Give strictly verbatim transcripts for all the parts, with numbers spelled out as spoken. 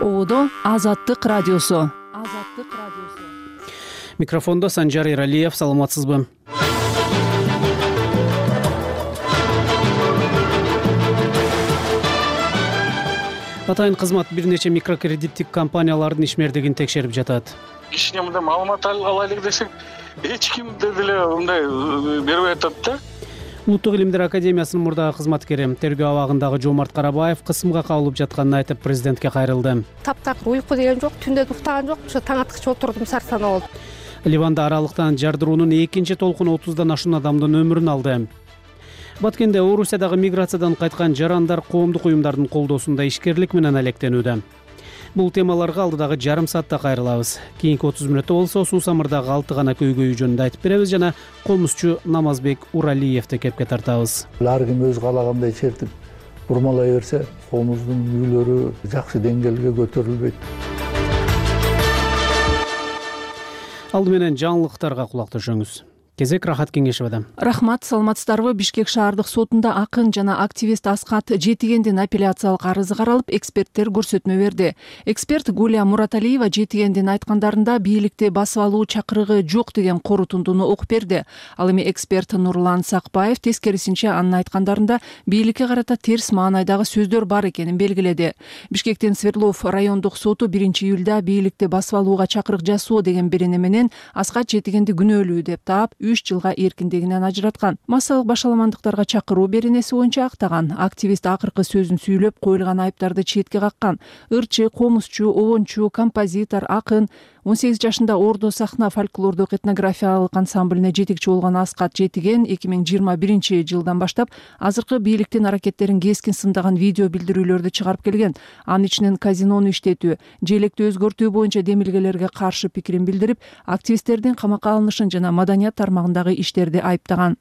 Оодо Азаттык радиосу. Азаттык радиосу. Микрофондо Санжар Иралиев. Саламатсызбы? Атайын кызмат бир нече микрокредиттик компаниялардын ишмердигин текшерип жатат. Кичине мындай маалымат алайлык десек, эч ким деле мындай бербей атат да. Улуттук илимдер академиясынын мурдагы кызматкери тергөө абагындагы Жомарт Карабаев кысымга кабылып жатканын айтып, президентке кайрылды. Таптакыр уйку деген жок, түндө уктаган жок, ушу таң аткыча отурдум, сарсана болуп. Ливанда аралыктан жардыруунун экинчи толкуну отуздан ашуун адамдын өмүрүн алды. Баткенде Орусиядагы миграциядан кайткан жарандар коомдук уюмдардын колдоосунда ишкерлик менен алектенүүдө. Бул темаларга алдыдагы жарым саатта кайрылабыз. Кийинки отуз мүнөттө болсо суу самырдагы алты гана көйгөйү жөнүндө айтып беребиз жана комузчу Намазбек Уралиевди кепке тартабыз. Ар ким өз каалагандай чертип бурмалай берсе, комуздун үйлөрү жакшы деңгээлге көтөрүлбөйт. Алды менен жаңылыктарга кулак төшөңүз. Кезек Рахат Кеңешевадан. Рахмат, саламатсыздарбы? Бишкек шаардык сотунда акын жана активист Аскат Жетигендин апелляциялык арызы каралып, эксперттер көрсөтмө берди. Эксперт Гулия Мураталиева Жетигендин айткандарында бийликти басып алуу чакырыгы жок деген корутундуну окуп берди. Ал эми эксперт Нурлан Сакбаев тескерисинче анын айткандарында бийликке карата терс маанайдагы сөздөр бар экенин белгиледи. Бишкектин Свердлов райондук соту биринчи июлда бийликти басып алууга чакырык жасоо деген берене менен Аскат Жетигенди күнөөлүү деп таап, үч жылга эркиндигинен ажыраткан. Массалык башаламандыктарга чакыруу беренеси боюнча актаган. Активист акыркы сөзүн сүйлөп, коюлган айыптарды четке каккан. Ырчы, комузчу, обончу, композитор, акын. он сегиз жашында Ордо сахна фольклордук этнографиялык ансамблине жетекчи болгон Аскат Жетиген эки миң жыйырма биринчи жылдан баштап азыркы бийликтин аракеттерин кескин сындаган видео билдирүүлөрдү чыгарып келген. Анын ичинен казинону иштетүү, желекти өзгөртүү боюнча демилгелерге каршы пикирин билдирип, активисттердин камакка алынышын жана маданият тармагындагы иштерди айыптаган.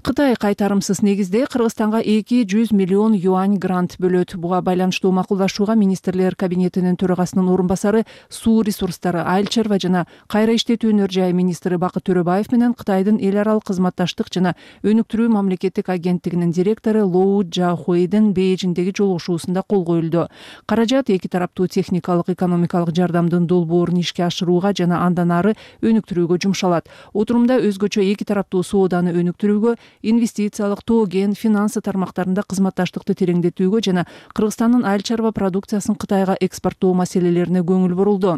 Кытай кайтарымсыз негизде Кыргызстанга эки жүз миллион юань грант бөлөт. Буга байланыштуу макулдашууга министрлер кабинетинин төрагасынын орун басары, суу ресурстары, айыл чарба жана кайра иштетүүнүн жай министри Бакыт Төрөбаев менен Кытайдын эл аралык кызматташтык жана өнүктүрүү мамлекеттик агенттигинин директору Лоу Джахуэйдин Бейжиңдеги жолугушуусунда кол коюлду. Каражат эки тараптуу техникалык, экономикалык жардамдын долбоорун ишке ашырууга жана андан ары өнүктүрүүгө жумшалат. Отурумда өзгөчө эки тараптуу сооданы өнүктүрүүгө, инвестициялык, тоген, финансы тармактарында кызматташтыкты тереңдетүүгө жана Кыргызстандын айыл чарба продукциясын Кытайга экспорттоо маселелерине көңүл бурулду.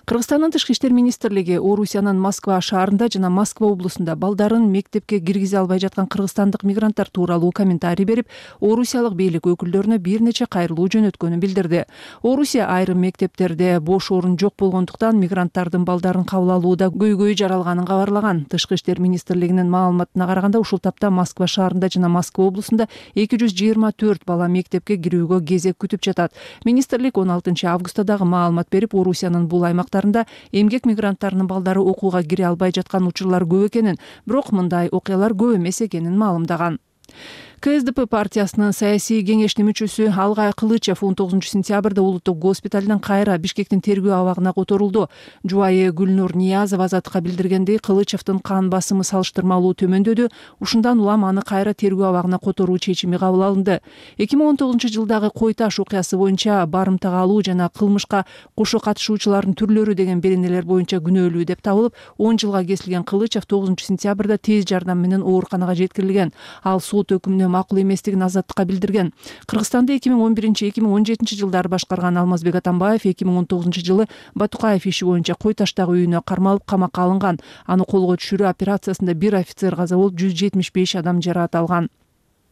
Кыргызстандын тышкы иштер министрлиги Орусиянын Москва шаарында жана Москва облусунда балдарын мектепке киргизе албай жаткан кыргызстандык мигранттар тууралуу комментарий берип, орусиялык бийлик өкүлдөрүнө бир нече кайрылуу жөнөткөнүн билдирди. Орусия айрым мектептерде бош орун жок болгондуктан мигранттардын балдарын кабыл алууда көйгөй жаралганын кабарлаган. Тышкы иштер министрлигинин маалыматына караганда, ушул тапта Москва шаарында жана Москва облусунда эки жүз жыйырма төрт бала мектепке кирүүгө кезек күтүп жатат. Министрлик он алтынчы августта дагы маалымат берип, Орусиянын бул аймактарында эмгек мигранттарынын балдары окууга кире албай жаткан учурлар көп экенин, бирок мындай окуялар көп эмес экенин маалымдаган. КСДП партиясынын саясий кеңешинин мүчөсү Алгай Кылычев он тогузунчу сентябрда улуттук госпиталдан кайра Бишкектин тергөө абагына которулду. Жубайы Гүлнур Ниязова Азаттыкка билдиргендей, Кылычевдин кан басымы салыштырмалуу төмөндөдү. Ушундан улам аны кайра тергөө абагына которуу чечими кабыл алынды. эки миң он тогузунчу жылдагы Кой Таш окуясы боюнча барымтага алуу жана кылмышка кошо катышуучулардын түрлөрү деген беренелер боюнча күнөөлүү деп табылып, он жылга кесилген Кылычев тогузунчу сентябрда тез жардам менен ооруканага жеткирилген. Ал сот өкүмүнө макул эместигин Азаттыкка билдирген. Кыргызстанды эки миң он биринчи эки миң он жетинчи жылдары башкарган Алмазбек Атамбаев эки миң он тогузунчу жылы Батукаев иши боюнча Кой Таштагы үйүнө кармалып камакка алынган. Аны колго түшүрүү операциясында бир офицер каза болуп, жүз жетимиш беш адам жаракат алган.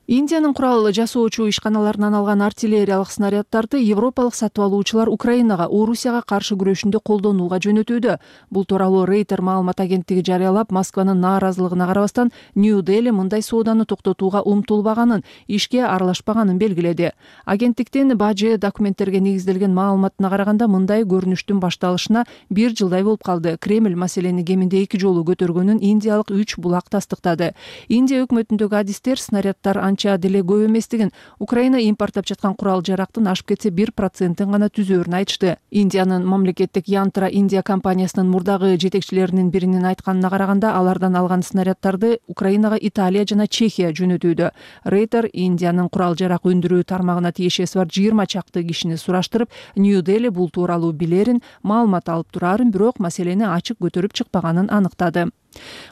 Индиянын курал жасоочу ишканаларынан алган артиллериялык снаряддарды европалык сатып алуучулар Украинага Орусияга каршы күрөшүндө колдонууга жөнөтүүдө. Бул тууралуу Рейтер маалымат агенттиги жарыялап, Москванын нааразылыгына карабастан Нью-Дели мындай сооданы токтотууга умтулбаганын, ишке аралашпаганын белгиледи. Агенттиктин бажы документтерге негизделген маалыматына караганда, мындай көрүнүштүн башталышына бир жылдай болуп калды. Кремль маселени кеминде эки жолу көтөргөнүн индиялык үч булак тастыктады. Индия өкмөтүндөгү адистер снаряддар анча анча деле көп эместигин, Украина импорттоп жаткан курал жарактын ашып кетсе бир процентин гана түзөөрүн айтышты. Индиянын мамлекеттик Янтра Индия компаниясынын мурдагы жетекчилеринин биринин айтканына караганда, алардан алган снаряддарды Украинага Италия жана Чехия жөнөтүүдө. Рейтер Индиянын курал жарак өндүрүү тармагына тиешеси бар жыйырма чакты кишини сураштырып, Нью-Дели бул тууралуу билерин, маалымат алып турарын, бирок маселени ачык көтөрүп чыкпаганын аныктады.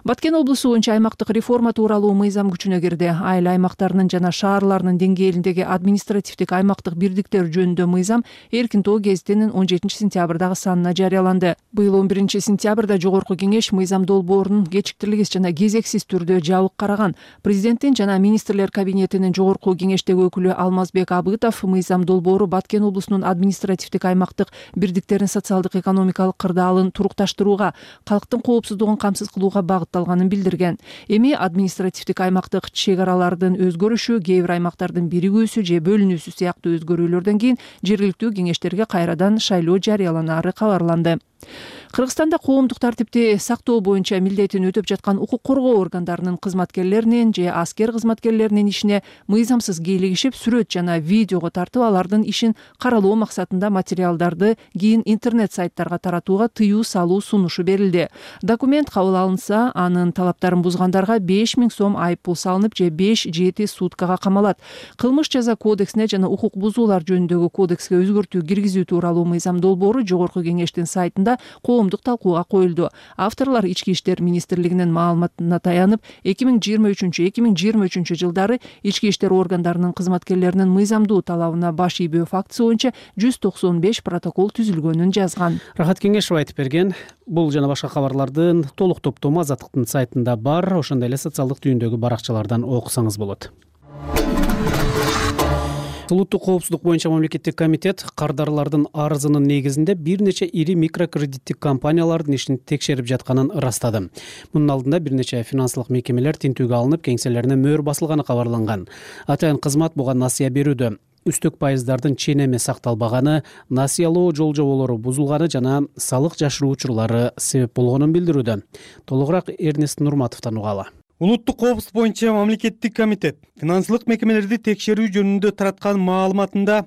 Баткен облусу боюнча аймактык реформа тууралуу мыйзам күчүнө кирди. Айыл аймактарынын жана шаарларынын деңгээлиндеги административдик аймактык бирдиктер жөнүндө мыйзам Эркин тоо гезитинин он жетинчи сентябрдагы санына жарыяланды. Быйыл он биринчи сентябрда Жогорку кеңеш мыйзам долбоорунун кечиктирилгис жана кезексиз түрдө жабык караган. Президенттин жана министрлер кабинетинин Жогорку кеңештеги өкүлү Алмазбек Абытов мыйзам долбоору Баткен облусунун административдик аймактык бирдиктерин социалдык экономикалык кырдаалын турукташтырууга, калктын коопсуздугун камсыз кылууга багытталганын билдирген. Эми административдик аймактык чек аралардын өзгөрүшү, кээ бир аймактардын биригүүсү же бөлүнүүсү сыяктуу өзгөрүүлөрдөн кийин жергиликтүү кеңештерге кайрадан шайлоо жарыяланары кабарланды. Кыргызстанда коомдук тартипти сактоо боюнча милдетин өтөп жаткан укук коргоо органдарынын кызматкерлеринин же аскер кызматкерлеринин ишине мыйзамсыз кийлигишип, сүрөт жана видеого тартып, алардын ишин каралоо максатында материалдарды кийин интернет сайттарга таратууга тыюу салуу сунушу берилди. Документ кабыл алынса, анын талаптарын бузгандарга беш миң сом айып пул салынып, же беш жети суткага камалат. Кылмыш жаза кодексине жана укук бузуулар жөнүндөгү кодекске өзгөртүү киргизүү тууралуу мыйзам долбоору Жогорку кеңештин сайтында коомдук талкууга коюлду. Авторлор Ички иштер министрлигинин маалыматына таянып, эки миң жыйырма үчүнчү эки миң жыйырма үчүнчү жылдары ички иштер органдарынын кызматкерлеринин мыйзамдуу талабына баш ийбөө фактысы боюнча жүз токсон беш протокол түзүлгөнүн жазган. Рахат Кеңешева айтып берген. Бул жана башка кабарлардын толук топтому Азаттыктын сайтында бар, ошондой эле социалдык түйүндөгү баракчалардан окусаңыз болот. Улуттук коопсуздук боюнча мамлекеттик комитет кардарлардын арызынын негизинде бир нече ири микрокредиттик компаниялардын ишин текшерип жатканын ырастады. Мунун алдында бир нече финансылык мекемелер тинтүүгө алынып, кеңселерине мөөр басылганы кабарланган. Атайын кызмат буга насыя берүүдө үстөк пайыздардын ченеми сакталбаганы, насыялоо жол-жоболору бузулганы жана салык жашыруу учурлары себеп болгонун билдирүүдө. Толугураак Эрнест Нурматовдон угалы. Улуттук коопсуздук боюнча мамлекеттик комитет финансылык мекемелерди текшерүү жөнүндө тараткан маалыматында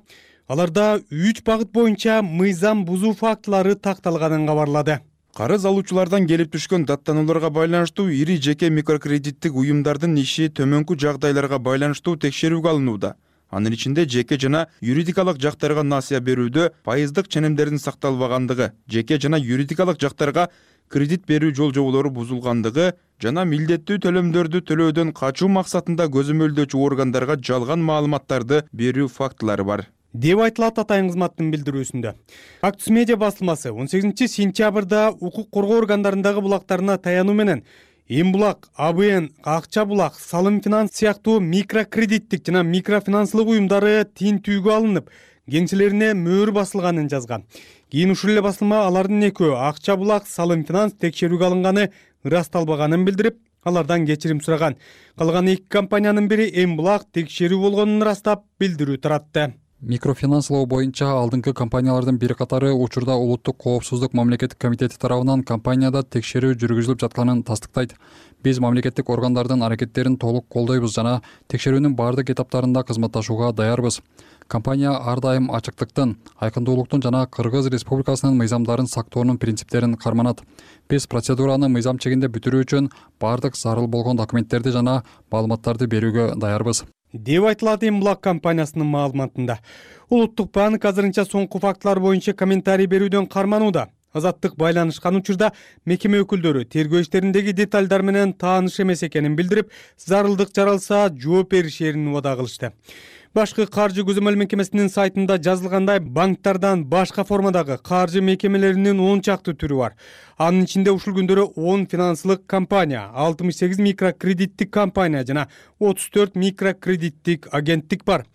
аларда үч багыт боюнча мыйзам бузуу фактылары такталганын кабарлады. Карыз алуучулардан келип түшкөн даттанууларга байланыштуу ири жеке микрокредиттик уюмдардын иши төмөнкү жагдайларга байланыштуу текшерүүгө алынууда. Анын ичинде жеке жана юридикалык жактарга насыя берүүдө пайыздык ченемдердин сакталбагандыгы, жеке жана юридикалык жактарга кредит берүү жол-жоболору бузулгандыгы жана милдеттүү төлөмдөрдү төлөөдөн качуу максатында көзөмөлдөөчү органдарга жалган маалыматтарды берүү фактылары бар деп айтылат атайын кызматтын билдирүүсүндө. Актус медиа басылмасы он сегизинчи сентябрда укук коргоо органдарындагы булактарына таянуу менен Эм булак, А Б Н, Акча булак, Салым финанс сыяктуу микрокредиттик жана микрофинанслык уюмдары тинтүүгө алынып, кеңселерине мөөр басылганын жазган. Кийин ушул эле басылма алардын экөө Акча булак, Салым финанс текшерүүгө алынганы ырасталбаганын билдирип, алардан кечирим сураган. Калган эки компаниянын бири Эм булак текшерүү болгонун ырастап билдирүү таратты. Микрофинанслоо боюнча алдыңкы компаниялардын бир катары учурда Улуттук коопсуздук мамлекеттик комитети тарабынан компанияда текшерүү жүргүзүлүп жатканын тастыктайт. Биз мамлекеттик органдардын аракеттерин толук колдойбуз жана текшерүүнүн бардык этаптарында кызматташууга даярбыз. Компания ар дайым ачыктыктын, айкындуулуктун жана Кыргыз Республикасынын мыйзамдарын сактоонун принциптерин карманат. Биз процедураны мыйзам чегинде бүтүрүү үчүн бардык зарыл болгон документтерди жана маалыматтарды берүүгө даярбыз деп айтылат Эм булак компаниясынын маалыматында. Улуттук банк азырынча соңку фактылар боюнча комментарий берүүдөн карманууда. Азаттык байланышкан учурда мекеме өкүлдөрү тергөө иштериндеги детальдар менен тааныш эмес экенин билдирип, зарылдык жаралса жооп беришерин убада кылышты. Башкы каржы көзөмөл мекемесинин сайтында жазылгандай, банктардан башка формадагы каржы мекемелеринин он чакты түрү бар. Анын ичинде ушул күндөрү он финансылык компания, алтымыш сегиз микрокредиттик компания жана отуз төрт микрокредиттик агенттик бар.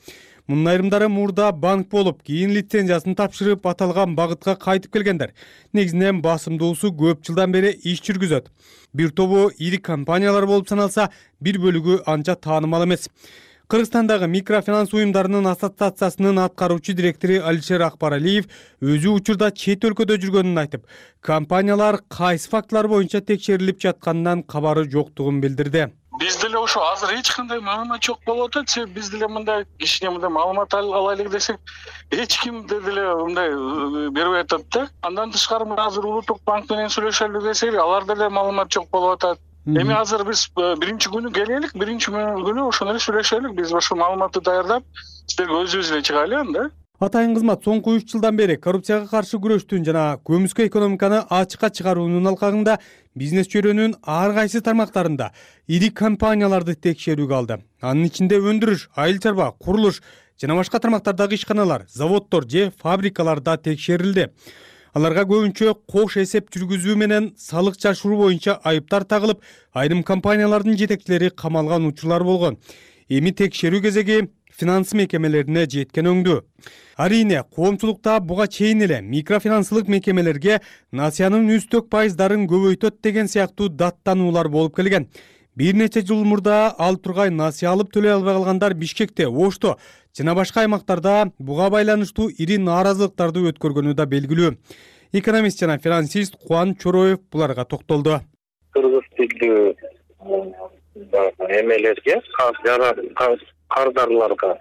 Мунун айрымдары мурда банк болуп, кийин лицензиясын тапшырып аталган багытка кайтып келгендер. Негизинен басымдуусу көп жылдан бери иш жүргүзөт. Бир тобу ири компаниялар болуп саналса, бир бөлүгү анча таанымал эмес. Кыргызстандагы микрофинанс уюмдарынын ассоциациясынын аткаруучу директору Алишер Акбаралиев өзү учурда чет өлкөдө жүргөнүн айтып, компаниялар кайсы фактылар боюнча текшерилип жатканынан кабары жоктугун билдирди. биз деле ошо азыр эч кандай маалымат жок болуп атат. Себеби биз деле мындай кичине мындай маалымат алайлык десек, эч ким деле мындай бербей атат да. Андан тышкары азыр Улуттук банк менен сүйлөшөлү десек, алар деле маалымат жок болуп атат. Эми азыр биз биринчи күнү келелик, биринчи күнү ошону эле сүйлөшөлүк. Биз ошо маалыматты даярдап, сиздерге өзүбүз эле чыгайлы анда. Атайын кызмат соңку үч жылдан бери коррупцияга каршы күрөштүн жана көмүскө экономиканы ачыкка чыгаруунун алкагында бизнес чөйрөнүн ар кайсы тармактарында ири компанияларды текшерүүгө алды. Анын ичинде өндүрүш, айыл чарба, курулуш жана башка тармактардагы ишканалар, заводдор же фабрикалар да текшерилди. Аларга көбүнчө кош эсеп жүргүзүү менен салык жашыруу боюнча айыптар тагылып, айрым компаниялардын жетекчилери камалган учурлар болгон. Эми текшерүү кезеги финанс мекемелерине жеткен өңдү. Арийне, коомчулукта буга чейин эле микрофинансылык мекемелерге насыянын үстөк пайыздарын көбөйтөт деген сыяктуу даттануулар болуп келген. Бир нече жыл мурда ал тургай насыя алып төлөй албай калгандар Бишкекте, Ошто жана башка аймактарда буга байланыштуу ири нааразылыктарды өткөргөнү да белгилүү. Экономист жана финансист Кубан Чороев буларга токтолду. Кыргыз тилдүү эмелерге, кардарларга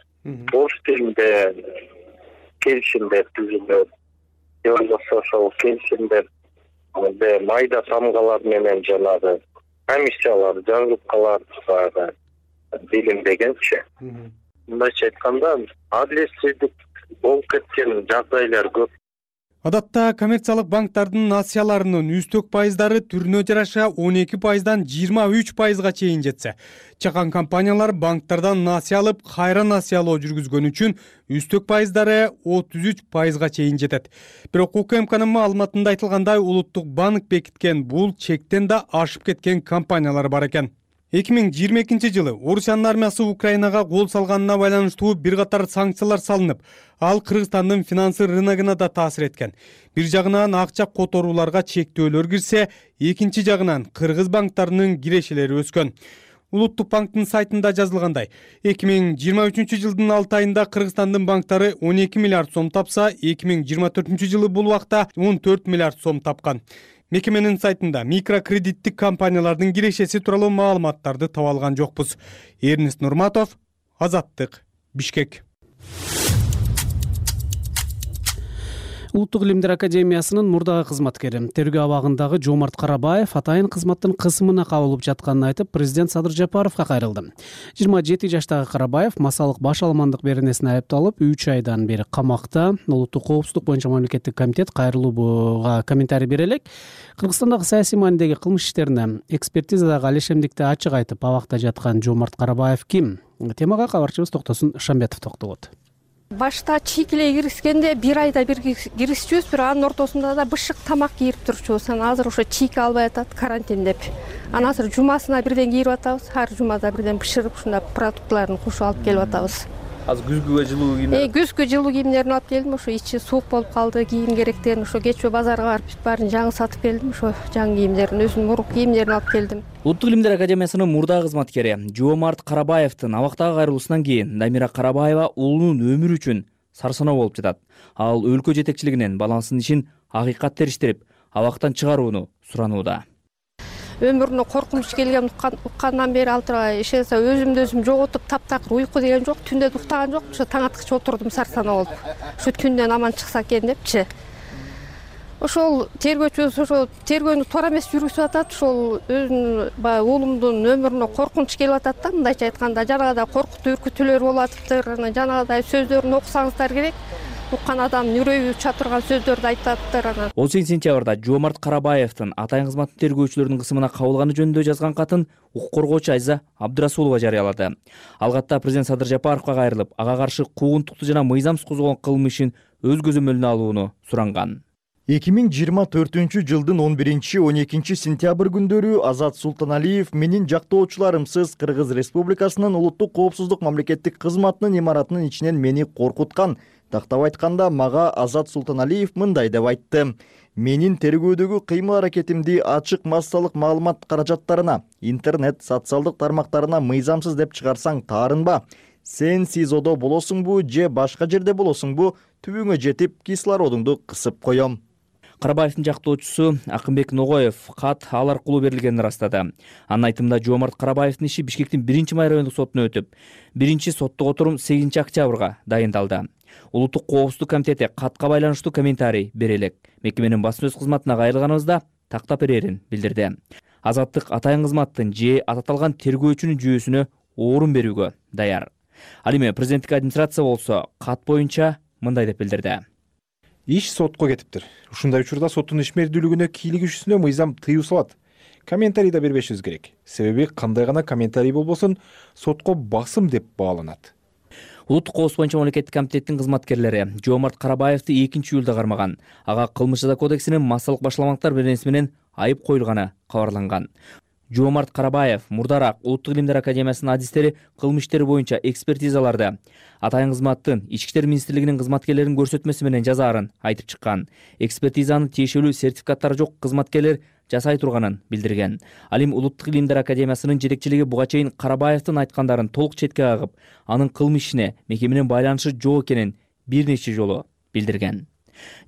орус тилинде келишимдер түзүлөт. Же болбосо ошол келишимдер майда тамгалар менен жанагы комиссиялар, жаргылкалар билинбегенчи. Мындайча айтканда, адилетсиздик болуп кеткен жагдайлар көп. Адатта коммерциялык банктардын насыяларынын үстөк пайыздары түрүнө жараша он эки пайыздан жыйырма үч пайызга чейин жетсе, чакан компаниялар банктардан насыя алып, кайра насыялоо жүргүзгөн үчүн үстөк пайыздары отуз үч пайызга чейин жетет. Бирок УКМКнын маалыматында айтылгандай, Улуттук банк бекиткен бул чектен да ашып кеткен компаниялар бар экен. эки миң жыйырма экинчи жылы Орусиянын армиясы Украинага кол салганына байланыштуу бир катар санкциялар салынып, ал Кыргызстандын финансы рыногуна да таасир эткен. Бир жагынан акча которууларга чектөөлөр кирсе, экинчи жагынан кыргыз банктарынын кирешелери өскөн. Улуттук банктын сайтында жазылгандай, эки миң жыйырма үчүнчү жылдын алты айында Кыргызстандын банктары он эки миллиард сом тапса, эки миң жыйырма төртүнчү жылы бул убакта он төрт миллиард сом тапкан. Мекеменин сайтында микрокредиттик компаниялардын кирешеси тууралуу маалыматтарды таба алган жокпуз. Эрнест Нурматов, Азаттык, Бишкек. Улуттук илимдер академиясынын мурдагы кызматкери, тергөө абагындагы Жомарт Карабаев атайын кызматтын кысымына кабылып жатканын айтып, президент Садыр Жапаровго кайрылды. жыйырма жети жаштагы Карабаев масалык баш алмандык беренесине айыпталып, үч айдан бери камакта. Улуттук коопсуздук боюнча мамлекеттик комитет кайрылууга комментарий бере элек. Кыргызстандагы саясий маанидеги кылмыш иштерине экспертизадагы алешемдикти ачык айтып, абакта жаткан Жомарт Карабаев ким? Темага кабарчыбыз Токтосун Шамбетов токтолот. Башта чийкилей киришкенде бир айда бир киришчүбүз, бирок анын ортосунда да бышык тамак кийип турчубуз. Анан азыр ошо чийке албай атат, карантин деп. Анан азыр жумасына бирден кийип атабыз, ар жумада бирден бышырып ушундай продуктларын кошуп алып келип атабыз. Азыр күзгүгө жылуу кийим. Э, күзгү жылуу кийимдерин алып келдим, ошо ичи суук болуп калды, кийим керектен ошо кечөө базарга барып бүт баарын жаңы сатып келдим, ошо жаңы кийимдерин, өзүмдүн мурунку кийимдерин алып келдим. Улуттук илимдер академиясынын мурдагы кызматкери Жомарт Карабаевдин абактага кайрылуусунан кийин Дамира Карабаева уулунун өмүрү үчүн сарсаноо болуп жатат. Ал өлкө жетекчилигинен баласынын ишин акыйкат териштирип, абактан чыгарууну суранууда. Өмүрүнө коркунуч келген уккандан бери ал тургай ишенсе өзүмдү өзүм жоготуп, таптакыр уйку деген жок, түндө уктаган жок, ошо таң аткыча отурдум сарсанаа болуп. Ушу түндөн аман чыкса экен депчи. Ошол тергөөчүбүз ошо тергөөнү туура эмес жүргүзүп атат. Ошол өзүнүн баягы уулумдун өмүрүнө коркунуч келип атат да, мындайча айтканда, жанагыдай коркутуу үркүтүүлөр болуп атыптыр. Анан жанагыдай сөздөрүн окусаңыздар керек. Уккан адамдын үрөйү уча турган сөздөрдү айтаптыр. Анан он сегизинчи сентябрда Жомарт Карабаевдин атайын кызматтын тергөөчүлөрүнүн кысымына кабылганы жөнүндө жазган катын укук коргоочу Айза Абдырасулова жарыялады. Ал катта президент Садыр Жапаровго кайрылып, ага каршы куугунтукту жана мыйзамсыз козголгон кылмышын өз көзөмөлүнө алууну суранган. эки миң жыйырма төртүнчү жылдын он биринчи он экинчи сентябрь күндөрү Азат Султаналиев менин жактоочуларымсыз Кыргыз Республикасынын улуттук коопсуздук мамлекеттик кызматынын имаратынын ичинен мени коркуткан. Тактап айтканда, мага Азат Султаналиев мындай деп айтты: менин тергөөдөгү кыймыл-аракетимди ачык массалык маалымат каражаттарына, интернет, социалдык тармактарына мыйзамсыз деп чыгарсаң таарынба. Сен СИЗОдо болосуңбу же башка жерде болосуңбу, түбүңө жетип кислородуңду кысып коем. Карабаевдин жактоочусу Акынбек Ногоев кат ал аркылуу берилгенин ырастады. Анын айтымында Жоомарт Карабаевдин иши Бишкектин биринчи май райондук сотуна өтүп, биринчи соттук отурум сегизинчи октябрга дайындалды. Улуттук коопсуздук комитети катка байланыштуу комментарий бере элек. Мекеменин басма сөз кызматына кайрылганыбызда тактап берерин билдирди. Азаттык атайын кызматтын же ататалган тергөөчүнүн жүйөсүнө орун берүүгө даяр. Ал эми президенттик администрация болсо кат боюнча мындай деп билдирди. Иш сотко кетиптир. Ушундай учурда соттун ишмердүүлүгүнө кийлигишүүсүнө мыйзам тыюу салат. Комментарий да бербешибиз керек. Себеби кандай гана комментарий болбосун сотко басым деп бааланат. Улуттук коопсуздук боюнча мамлекеттик комитеттин кызматкерлери Жоомарт Карабаевди экинчи июлда кармаган. Ага кылмыш жаза кодексинин массалык башаламактар беренеси менен айып коюлганы кабарланган. Жоомарт Карабаев мурдараак Улуттук илимдер академиясынын адистери кылмыш иштери боюнча экспертизаларды атайын кызматтын Ички иштер министрлигинин кызматкерлеринин көрсөтмөсү менен жазаарын айтып чыккан. Экспертизанын тиешелүү сертификаттары жок кызматкерлер жасай турганын билдирген. Ал эми Улуттук илимдер академиясынын жетекчилиги буга чейин Карабаевдин айткандарын толук четке кагып, анын кылмыш ишине мекеменин байланышы жок экенин бир нече жолу билдирген.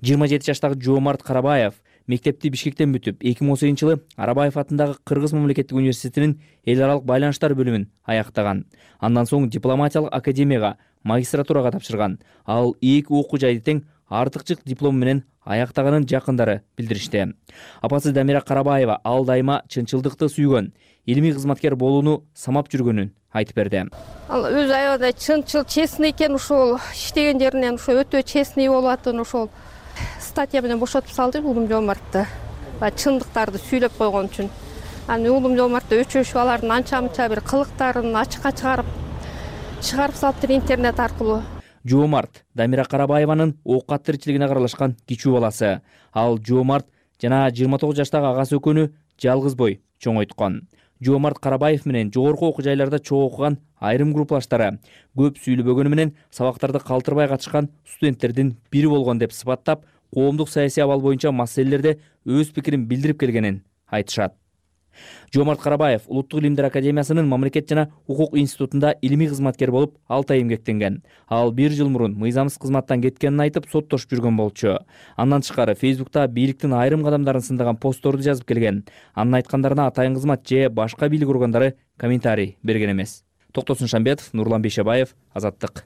жыйырма жети жаштагы Жоомарт Карабаев мектепти Бишкектен бүтүп, эки миң он сегизинчи жылы Арабаев атындагы Кыргыз мамлекеттик университетинин эл аралык байланыштар бөлүмүн аяктаган. Андан соң дипломатиялык академияга магистратурага тапшырган. Ал эки окуу жайды тең артыкчылык диплому менен аяктаганын жакындары билдиришти. Апасы Дамира Карабаева ал дайыма чынчылдыкты сүйгөн, илимий кызматкер болууну самап жүргөнүн айтып берди. Ал өз аябай чынчыл, честный экен, ушул иштеген жеринен ушул өтө честный болуп атын, ушул статья менен бошотуп салды уулум Жоомартты. Чындыктарды сүйлөп койгон үчүн. Аны уулум Жоомартты өчөшүп алардын анча-мынча бир кылыктарын ачыкка чыгарып чыгарып салыптыр интернет аркылуу. Жоомарт Дамира Карабаеванын оокат тиричилигине каралашкан кичүү баласы. Ал Жоомарт жана жыйырма тогуз жаштагы агасы экөөнү жалгыз бой чоңойткон. Жоомарт Карабаев менен жогорку окуу жайларда чогуу окуган айрым группалаштары көп сүйлөбөгөнү менен сабактарды калтырбай катышкан студенттердин бири болгон деп сыпаттап, коомдук саясий абал боюнча маселелерде өз пикирин билдирип келгенин айтышат. Жоомарт Карабаев Улуттук илимдер академиясынын мамлекет жана укук институтунда илимий кызматкер болуп, алты ай эмгектенген. Ал бир жыл мурун мыйзамсыз кызматтан кеткенин айтып, соттошуп жүргөн болчу. Андан тышкары Фейсбукта бийликтин айрым кадамдарын сындаган постторду жазып келген. Анын айткандарына атайын кызмат же башка бийлик органдары комментарий берген эмес. Токтосун Шамбетов, Нурлан Бейшебаев, Азаттык.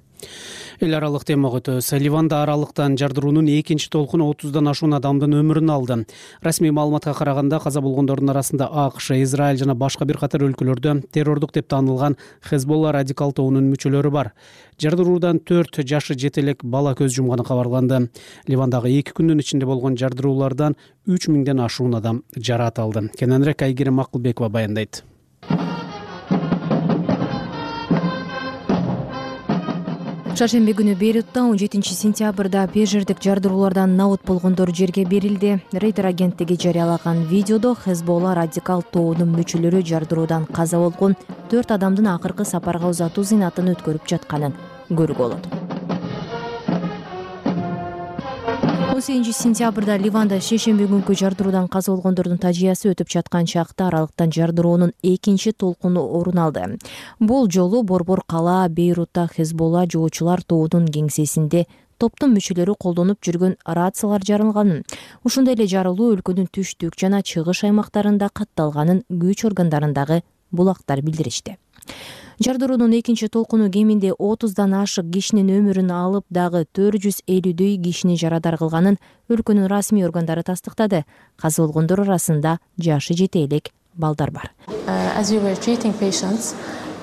Эл аралык темага өтөбүз. Ливанда аралыктан жардыруунун экинчи толкуну отуздан ашуун адамдын өмүрүн алды. Расмий маалыматка караганда каза болгондордун арасында АКШ, Израиль жана башка бир катар өлкөлөрдө террордук деп таанылган Хезболла радикал тобунун мүчөлөрү бар. Жардыруудан төрт жашы жете элек бала көз жумганы кабарланды. Ливандагы эки күндүн ичинде болгон жардыруулардан үч миңден ашуун адам жараат алды. Кененирээк Айгерим Макулбекова баяндайт. Шаршемби күнү Бейрутта он жетинчи сентябрда пежердик жардыруулардан набут болгондор жерге берилди. Рейтер агенттиги жарыялаган видеодо Хезболла радикал тобунун мүчөлөрү жардыруудан каза болгон төрт адамдын акыркы сапарга узатуу зыйнатын өткөрүп жатканын көрүүгө болот. он сегизинчи сентябрда Ливанда шейшемби күнкү жардыруудан каза болгондордун тажыясы өтүп жаткан чакта аралыктан жардыруунун экинчи толкуну орун алды. Бул жолу Борбор кала Бейрутта Хезболла жоочулар тобунун кеңсесинде топтун мүчөлөрү колдонуп жүргөн рациялар жарылганын, ушундай эле жарылуу өлкөнүн түштүк жана чыгыш аймактарында катталганын күч органдарындагы булактар билдиришти. Жардыруунун экинчи толкуну кеминде отуздан ашык кишинин өмүрүн алып, дагы төрт жүз элүүдөй кишини жарадар кылганын өлкөнүн расмий органдары тастыктады. Каза болгондор арасында жашы жете элек балдар бар.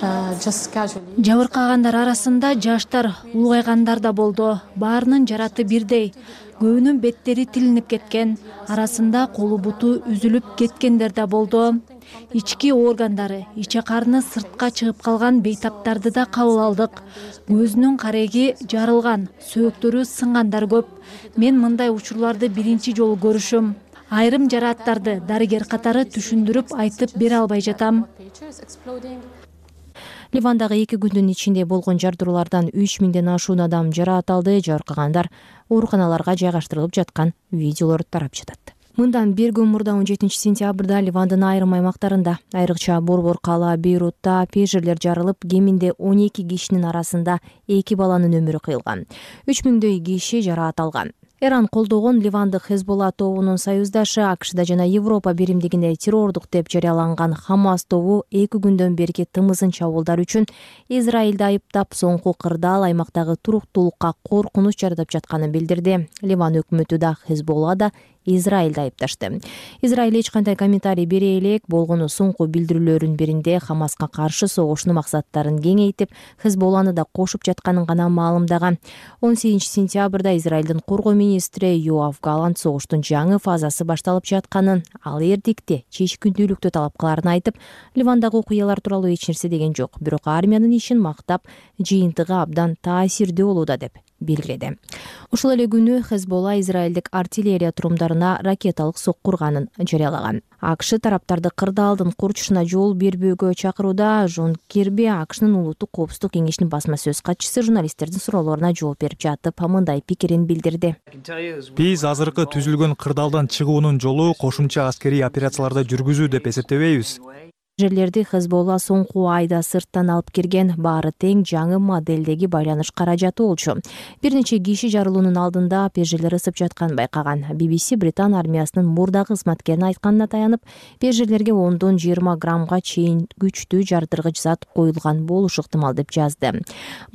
Жабыркагандар арасында жаштар, улгайгандар да болду. Баарынын жараты бирдей. Көбүнүн беттери тилинип кеткен, арасында колу буту үзүлүп кеткендер да болду. Ички органдары, иче карны сыртка чыгып калган бейтаптарды да кабыл алдык. Көзүнүн кареги жарылган, сөөктөрү сынгандар көп. Мен мындай учурларды биринчи жолу көрүшүм. Айрым жарааттарды дарыгер катары түшүндүрүп айтып бере албай жатам. Ливандагы эки күндүн ичинде болгон жардыруулардан үч миңден ашуун адам жараат алды. Жаркагандар ооруканаларга жайгаштырылып жаткан видеолор тарап жатат. Мындан бир күн мурда он жетинчи сентябрда Ливандын айрым аймактарында, айрыкча Борбор кала Бейрутта пежерлер жарылып, кеминде он эки кишинин арасында эки баланын өмүрү кыйылган. үч миңдөй киши жараат алган. Иран колдогон ливандык Хезболла тобунун союздашы АКШда жана Европа биримдигинде террордук деп жарыяланган Хамас тобу эки күндөн берки тымызын чабуулдар үчүн Израилди айыптап, соңку кырдаал аймактагы туруктуулукка коркунуч жаратып жатканын билдирди. Ливан өкмөтү да Хезболла да Израилди айыпташты. Израиль эч кандай комментарий бере элек, болгону соңку билдирүүлөрүнүн биринде Хамаска каршы согуштун максаттарын кеңейтип, Хезболланы да кошуп жатканын гана маалымдаган. он сегизинчи сентябрда Израилдин коргоо министри Йоав Галант согуштун жаңы фазасы башталып жатканын, ал эрдикте чечкиндүүлүктү талап кыларын айтып, Ливандагы окуялар тууралуу эч нерсе деген жок, бирок армиянын ишин мактап, жыйынтыгы абдан таасирдүү болууда деп белгиледи. Ушул эле күнү Хезболла израилдик артиллерия турумдарына ракеталык сокку урганын жарыялаган. АКШ тараптарды кырдаалдын курчушуна жол бербөөгө чакырууда. Жон Кирби АКШнын улуттук коопсуздук кеңешинин басма сөз катчысы журналисттердин суроолоруна жооп берип жатып, мындай пикирин билдирди. Биз азыркы түзүлгөн кырдаалдан чыгуунун жолу кошумча аскерий операцияларды жүргүзүү деп эсептебейбиз. Жерлерди Хезболла соңку айда сырттан алып кирген, баары тең жаңы моделдеги байланыш каражаты болчу. Бир нече киши жарылуунун алдында пежелер ысып жатканын байкаган. би би си Британ армиясынын мурдагы кызматкерин айтканына таянып, пежелерге ондон жыйырма граммга чейин күчтүү жардыргыч зат коюлган болушу ыктымал деп жазды.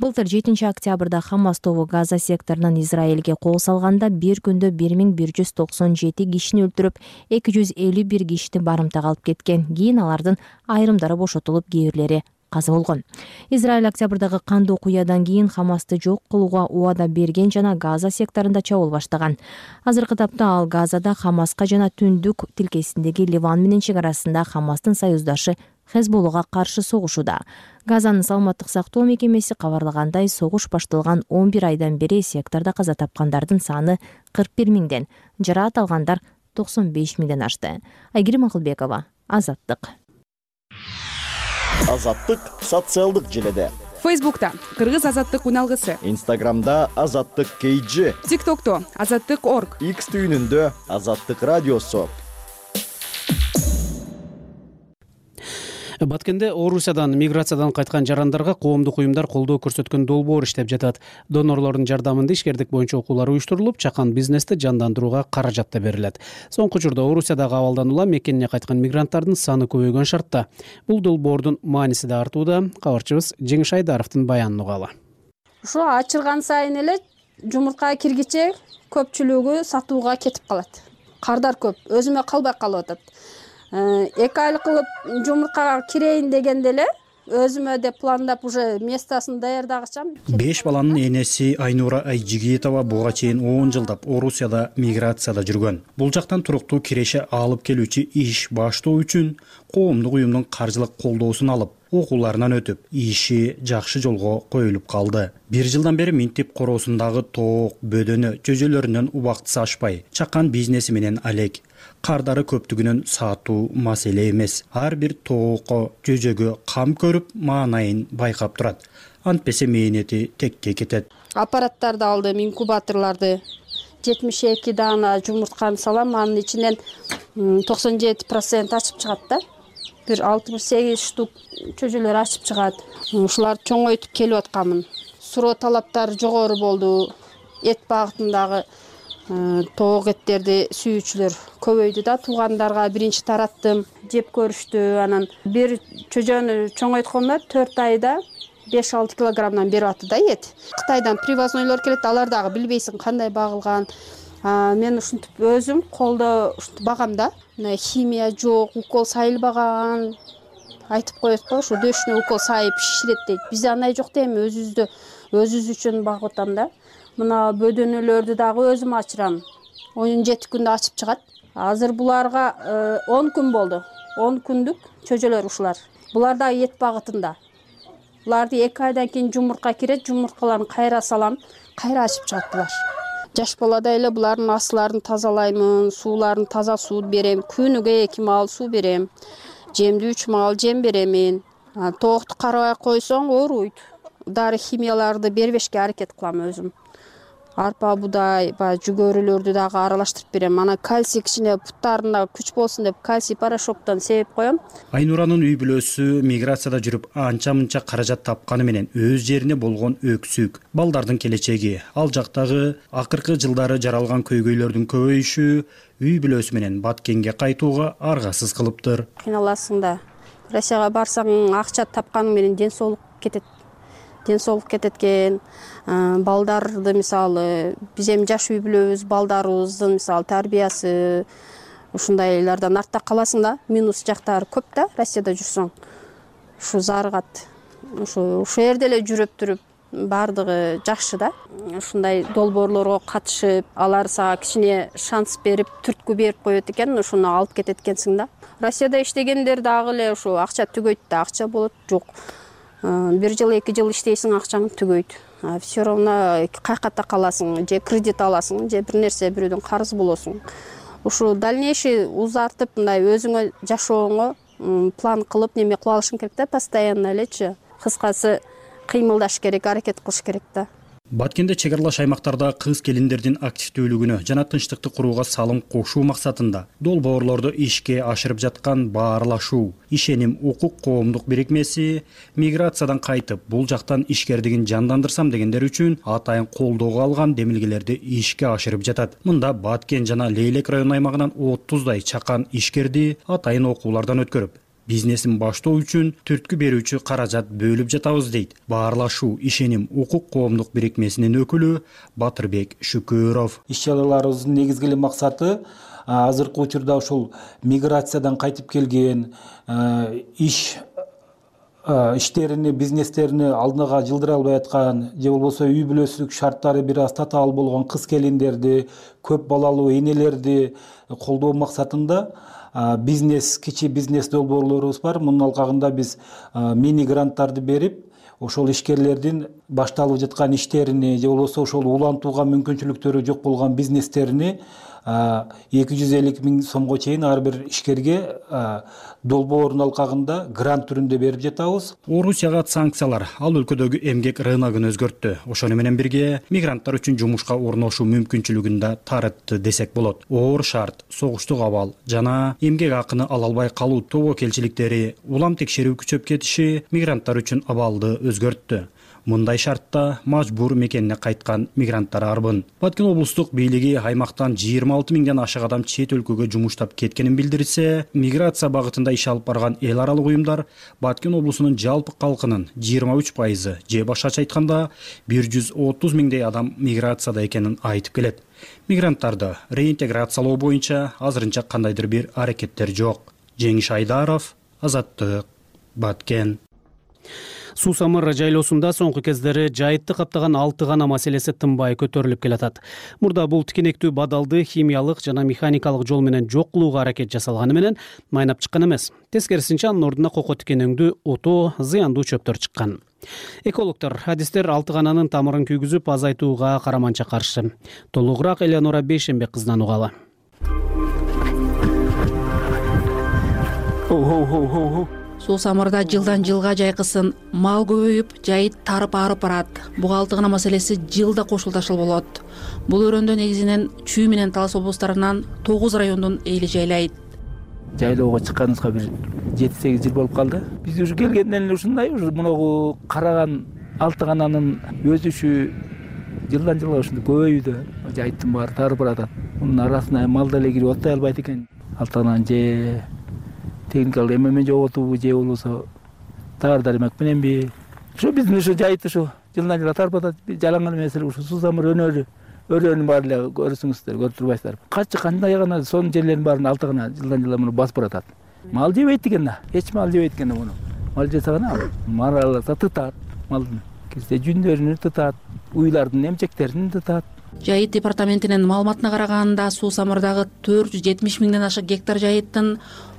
Былтыр жетинчи октябрда Хамас тобу Газа секторунан Израилге кол салганда бир күндө бир миң бир жүз токсон жети кишини өлтүрүп, эки жүз элүү бир кишини барымтага алып кеткен. Кийин алардын айрымдары бошотулуп, кээ бирлери каза болгон. Израиль октябрдагы кандуу окуядан кийин Хамасты жок кылууга убада берген жана Газа секторунда чабуул баштаган. Азыркы тапта ал Газада Хамаска жана түндүк тилкесиндеги Ливан менен чек арасында Хамастын союздашы Хезболлага каршы согушууда. Газанын саламаттык сактоо мекемеси кабарлагандай, согуш башталган он бир айдан бери сектордо каза тапкандардын саны кырк бир миңден, жараат алгандар токсон беш миңден ашты. Айгерим Акылбекова, Азаттык. Азаттык социалдык желеде. Фейсбукта Кыргыз азаттык уналгысы. Инстаграмда Азаттык кей джи. ТикТокто Азаттык точка орг. Икс түйүнүндө Азаттык радиосу. Баткенде Орусиядан миграциядан кайткан жарандарга коомдук уюмдар колдоо көрсөткөн долбоор иштеп жатат. Донорлордун жардамында ишкердик боюнча окуулар уюштурулуп, чакан бизнести жандандырууга каражат да берилет. Соңку учурда Орусиядагы абалдан улам мекенине кайткан мигранттардын саны көбөйгөн шартта. Бул долбоордун мааниси да артууда. Кабарчыбыз Жеңиш Айдаровдун баянын угалы. Ушу ачылган сайын эле жумуртка киргиче көпчүлүгү сатууга кетип калат. Кардар көп, өзүмө калбай калып атат. эки айлык кылып жумурткага кирейин дегенде эле өзүмө деп пландап уже местасын даярдагычам. Беш баланын энеси Айнура Айжигитова буга чейин он жылдап Орусияда миграцияда жүргөн. Бул жактан туруктуу киреше алып келүүчү иш баштоо үчүн коомдук уюмдун каржылык колдоосун алып, окууларынан өтүп, иши жакшы жолго коюлуп калды. Бир жылдан бери минтип короосундагы тоок, бөдөнү, чөжөлөрүнөн убактысы ашпай, чакан бизнеси менен алек. Кардары көптүгүнөн саатуу маселе эмес. Ар бир тоокко, жөжөгө кам көрүп, маанайын байкап турат. Антпесе мээнети текке кетет. Аппараттарды алдым, инкубаторлорду. жетимиш эки даана жумуртканы салам, анын ичинен токсон жети процент ачып чыгат да. Бир алтымыш сегиз штук чөжөлөр ачып чыгат. Ушуларды чоңойтуп келип атканмын. Суроо талаптары жогору болду. Эт багытындагы тоок эттерди сүйүүчүлөр көбөйдү да. Туугандарга биринчи тараттым, жеп көрүштү. Анан бир чөжөнү чоңойткондо төрт айда беш алты килограммдан берип атты да эт. Кытайдан привознойлор келет, алар дагы билбейсиң кандай багылган. Мен ушинтип өзүм колдо ушинтип багам да. Химия жок, укол сайылбаган. Айтып коет го, ушу дөшүнө укол сайып шиширет дейт. Бизде андай жок дейм, өзүбүздү өзүбүз үчүн багып атам да. Мына бөдөнөлөрдү дагы өзүм ачырам. он жети күндө ачып чыгат. Азыр буларга он күн болду. он күндүк чөжөлөр ушулар. Булар да эт багытында. Буларды эки айдан кийин жумуртка кирет, жумурткаларын кайра салам, кайра ачып чыгат булар. Жаш балада эле булардын асларын тазалаймын, сууларын таза суу берем, күнүгө эки маал суу берем. Жемди үч маал жем беремин. Тоокту карабай койсоң ооруйт. Дары химияларды бербешке аракет кылам өзүм. арпа, будай, баягы жүгөрүлөрдү дагы аралаштырып берем. Анан кальций кичине буттарына күч болсун деп кальций порошоктон себеп коем. Айнуранын үй бүлөсү миграцияда жүрүп анча-мынча каражат тапканы менен өз жерине болгон өксүк, балдардын келечеги, ал жактагы акыркы жылдары жаралган көйгөйлөрдүн көбөйүшү үй бүлөсү менен Баткенге кайтууга аргасыз кылыптыр. Кыйналасың да. Россияга барсаң акча тапканың менен ден соолук кетет. Ден соолук кетет экен. Балдарды мисалы биз эми жаш үй бүлөбүз, балдарыбыздын мисалы тарбиясы ушундайлардан артта каласың да. Минус жактары көп да Россияда жүрсөң. Ушу зарыгат. Ушу ушул жерде эле жүрүп туруп бардыгы жакшы да. Ушундай долбоорлорго катышып, алар сага кичине шанс берип, түрткү берип коет экен, ушуну алып кетет экенсиң да. Россияда иштегендер дагы эле ушу акча түгөйт да, акча болот, жок. Бир жыл, эки жыл иштейсиң, акчаң түгөйт. Все равно кайката каласың, же кредит аласың, же бир нерсе бирөөдөн карыз болосуң. Ушу дальнейший узартып, мындай өзүңө жашооңо план кылып неме кылып алышың керек да, постоянно элечи. Кыскасы кыймылдаш керек, аракет кылыш керек да. Баткенде чек аралаш аймактарда кыз келиндердин активдүүлүгүнө жана тынчтыкты курууга салым кошуу максатында долбоорлорду ишке ашырып жаткан Баарлашуу, Ишеним укук коомдук бирикмеси миграциядан кайтып, бул жактан ишкердигин жандандырсам дегендер үчүн атайын колдоого алган демилгелерди ишке ашырып жатат. Мында Баткен жана Лейлек район аймагынан отуздай чакан ишкерди атайын окуулардан өткөрүп, бизнесин баштоо үчүн түрткү берүүчү каражат бөлүп жатабыз дейт Баарлашуу, Ишеним укук коомдук бирикмесинин өкүлү Батырбек Шүкөров. Иш чараларыбыздын негизги максаты азыркы учурда ушул миграциядан кайтып келген иш иштерини, бизнестерини алдыга жылдыра албай аткан, же болбосо үй бүлөсүлүк шарттары бир аз татаал болгон кыз келиндерди, көп балалуу энелерди колдоо максатында бизнес, кичи бизнес долбоорлорубуз бар. Мунун алкагында биз мини гранттарды берип, ошол ишкерлердин башталып жаткан иштерини, же болбосо ошол улантууга мүмкүнчүлүктөрү жок болгон бизнестерини эки жүз элүү миң сомго чейин ар бир ишкерге долбоордун алкагында грант түрүндө берип жатабыз. Орусияга санкциялар ал өлкөдөгү эмгек рыногун өзгөрттү. Ошону менен бирге мигранттар үчүн жумушка орношуу мүмкүнчүлүгүн да тарытты десек болот. Оор шарт, согуштук абал жана эмгек акыны ала албай калуу тобокелчиликтери, улам текшерүү күчөп кетиши мигранттар үчүн абалды өзгөрттү. Мындай шартта мажбур мекенине кайткан мигранттар арбын. Баткен облустук бийлиги аймактан жыйырма алты миңден ашык адам чет өлкөгө жумуштап кеткенин билдирсе, миграция багытында иш алып барган эл аралык уюмдар Баткен облусунун жалпы калкынын жыйырма үч пайызы, же башкача айтканда бир жүз отуз миңдей адам миграцияда экенин айтып келет. Мигранттарды реинтеграциялоо боюнча азырынча кандайдыр бир аракеттер жок. Жеңиш Айдаров, Азаттык, Баткен. Суу самыр жайлоосунда соңку кездери жайытты каптаган алты гана маселеси тынбай көтөрүлүп келатат. Мурда бул тикенектүү бадалды химиялык жана механикалык жол менен жок кылууга аракет жасалганы менен майнап чыккан эмес. Тескерисинче анын ордуна коко тикенеңдүү отоо, зыяндуу чөптөр чыккан. Экологдор, адистер алты гананын тамырын күйгүзүп азайтууга караманча каршы. Толугураак Элеонора Бейшенбек кызынан угалы. Суу самырда жылдан жылга жайкысын мал көбөйүп, жайыт тарып арып барат. Буга алты гана маселеси жылда кошулдашыл болот. Бул өрөөндө негизинен Чүй менен Талас облустарынан тогуз райондун эли жайлайт. Жайлоого чыкканыбызга бир жети сегиз жыл болуп калды. Биз уже келгенден эле ушундай, ушу мунагу караган алты гананын өсүшү жылдан жылга ушундай көбөйүүдө, жайыттын баары тарып баратат. Мунун арасына мал деле кирип атпай албайт экен. Алты гананын же техникалык эмемен жоготуубу, же болбосо таар дармак мененби. Ушу биздин ушу жайыт ушу жылдан жылга тарып атат. Жалаңган эмес эле ушу суу самыр өнөрү, өрөөнүн баары эле көрүсүңүздөр, көрүп турбайсыздарбы? Качы кандай гана сонун жерлердин баарын алты гана жылдан жылга муну басып баратат. Мал жебейт экен да, эч мал жебейт экен да муну. Мал жесе гана мараласа тытат, малдын кирсе жүндөрүн тытат, уйлардын эмчектерин тытат. Жайыт департаментинин маалыматына караганда суу самырдагы төрт жүз жетимиш миңден ашык гектар жайыттын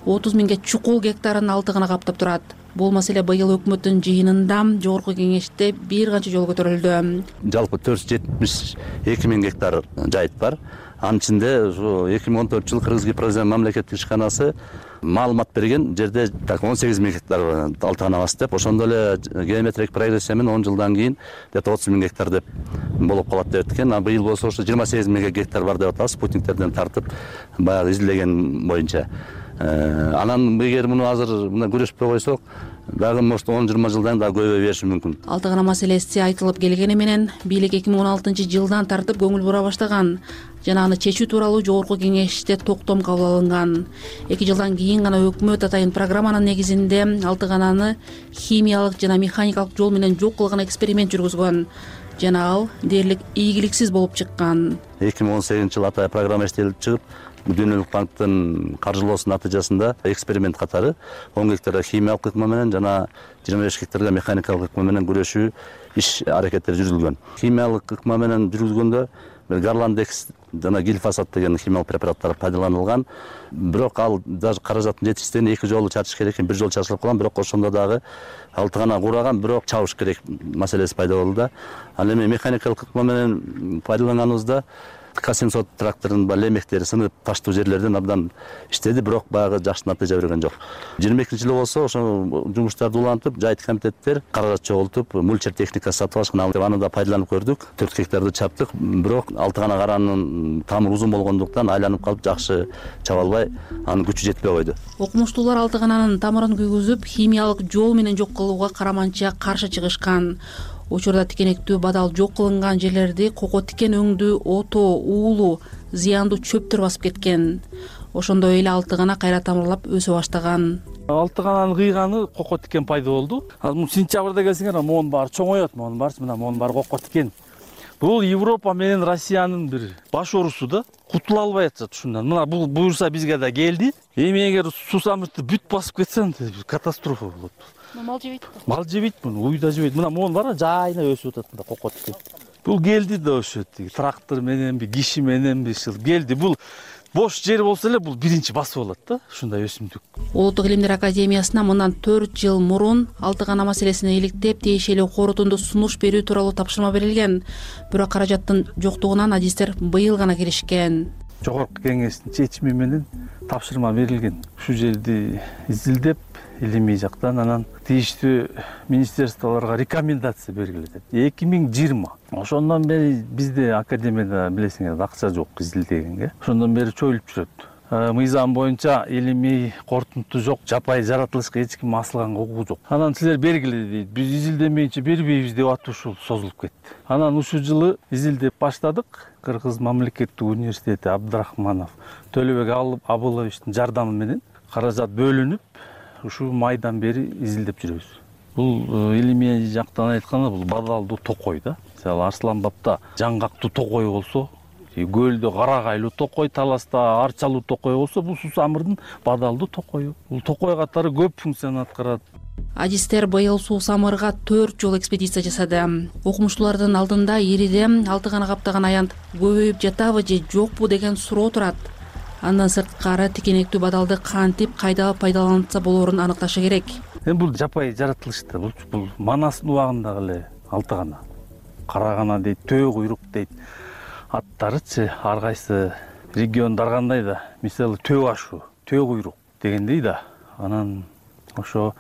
отуз миңге чукул гектарын алты гана каптап турат. бул маселе быйыл өкмөттүн жыйынында жогорку кеңеште бир канча жолу көтөрүлдү. Жалпы төрт жүз жетимиш эки миң гектар жайыт бар. Анын ичинде ушу эки миң он төртүнчү жылы Кыргыз Гипрозем мамлекеттик ишканасы маалымат берген жерде так он сегиз миң гектар алтыганабыз деп, ошондо эле геометрик прогрессия менен он жылдан кийин где-то отуз миң гектар деп болуп калат деп эткен. А быйыл болсо ошо жыйырма сегиз миң гектар бар деп атабыз, спутниктерден тартып баягы изилдеген боюнча. Анан эгер муну азыр мына күрөшпөй койсок, дагы может он жыйырма жылдан дагы көбөйө бериши мүмкүн. Алтыгана маселеси айтылып келгени менен бийлик эки миң он алтынчы жылдан тартып көңүл бура баштаган жана аны чечүү тууралуу жогорку кеңеште токтом кабыл алынган. эки жылдан кийин гана өкмөт атайын программанын негизинде Алтыгананы химиялык жана механикалык жол менен жок кылган эксперимент жүргүзгөн жана ал дээрлик ийгиликсиз болуп чыккан. эки миң он сегизинчи жылы атайын программа иштелип чыгып, Дүйнөлүк банктын каржылоосунун натыйжасында эксперимент катары он гектарга химиялык ыкма менен жана жыйырма беш гектарга механикалык ыкма менен күрөшүү иш аракеттери жүргүзүлгөн. Химиялык ыкма менен жүргүзгөндө Гарландекс жана глифосат деген химиялык препараттар пайдаланылган. Бирок ал даже каражаттын жетишсиздигинен эки жолу чачыш керек экен, бир жолу чачылып калган, бирок ошондо дагы алтыгана кураган, бирок чабыш керек маселеси пайда болду да. Ал эми механикалык ыкма менен пайдаланганыбызда К семьсот трактордун баягы лемектери сынып таштуу жерлерден абдан иштеди, бирок баягы жакшы натыйжа берген жок. жыйырма экинчи жылы болсо ошо жумуштарды улантып, жайыт комитеттер каражат чогултуп, мульчер техникасы сатып алышкан. Аны да пайдаланып көрдүк. төрт гектарды чаптык, бирок Алтыгана каранын тамыры узун болгондуктан айланып калып жакшы чаба албай, анын күчү жетпей койду. Окумуштуулар Алтыгананын тамырын күйгүзүп, химиялык жол менен жок кылууга караманча каршы чыгышкан. Учурда тикенектүү бадал жок кылынган жерлерди кoko тикен өңдүү, ото, уулу, зыяндуу чөптөр басып кеткен. Ошондой эле Алтыгана кайра тамырлап өсө баштаган. Алтыгананын кыйганы кoko тикен пайда болду. Азыр сентябрда келсеңер, монун баары чоңоёт, монун баарысы мына монун баары кoko тикен. Бул Европа менен Россиянын бир баш оорусу да, кутула албай атышат ушундан. Мына бул буюрса бизге да келди. Эми эгер сусамыртты бүт басып кетсе, катастрофа болот. Мал жебейт. Мал жебейт муну, уй да жебейт. Мына монун баары жайына өсүп атат мында кoko тикен. Бул келди да ошо трактор мененби, киши мененби келди. Бул бош жер болсо эле бул биринчи басып алат да, ушундай өсүмдүк. Улуттук илимдер академиясына мындан төрт жыл мурун Алтыгана маселесин иликтеп, тиешелүү корутунду сунуш берүү тууралуу тапшырма берилген. Бирок каражаттын жоктугунан адистер быйыл гана киришкен. Жогорку кеңештин чечими менен тапшырма берилген. Ушул жерди изилдеп, илимий жактан анан тийиштүү министерстволорго рекомендация бергиле. эки миң жыйырма. Ошондон бери бизде академияда билесиңер акча жок изилдегенге. Ошондон бери чоюлуп жүрөт. Мыйзам боюнча илимий корутунду жок, жапайы жаратылышка эч ким асылганга укугу жок. Анан силер бергиле дейт. Биз изилдемейинче бербейбиз деп атып ушул созулуп кетти. Анан ушул жылы изилдеп баштадык. Кыргыз мамлекеттик университети Абдрахманов Төлөбек Абыловичтин жардамы менен каражат бөлүнүп, ушул майдан бери изилдеп жүрөбүз. Бул илимий жактан айтканда бул бадалдуу токой да. Мисалы Арсланбапта жаңгактуу токой болсо, көлдө карагайлуу токой, таласта арчалуу токой болсо, бул сусамырдын бадалдуу токою. Бул токой катары көп функцияны аткарат. Адистер быйыл Суусамырга төрт жол экспедиция жасады. Окумуштуулардын алдында ириде Алтыгана каптаган аянт көбөйүп жатабы же жокпу деген суроо турат. Андан сырткары тикенектүү бадалды кантип кайда пайдаланса болоорун аныкташы керек. Эми бул жапайы жаратылышта, бул Манастын убагындагы эле Алтыгана. Карагана дейт, төө куйрук дейт. Аттарычы ар кайсы региондор кандай да, мисалы төө ашу, төө куйрук дегендей да. Анан ошо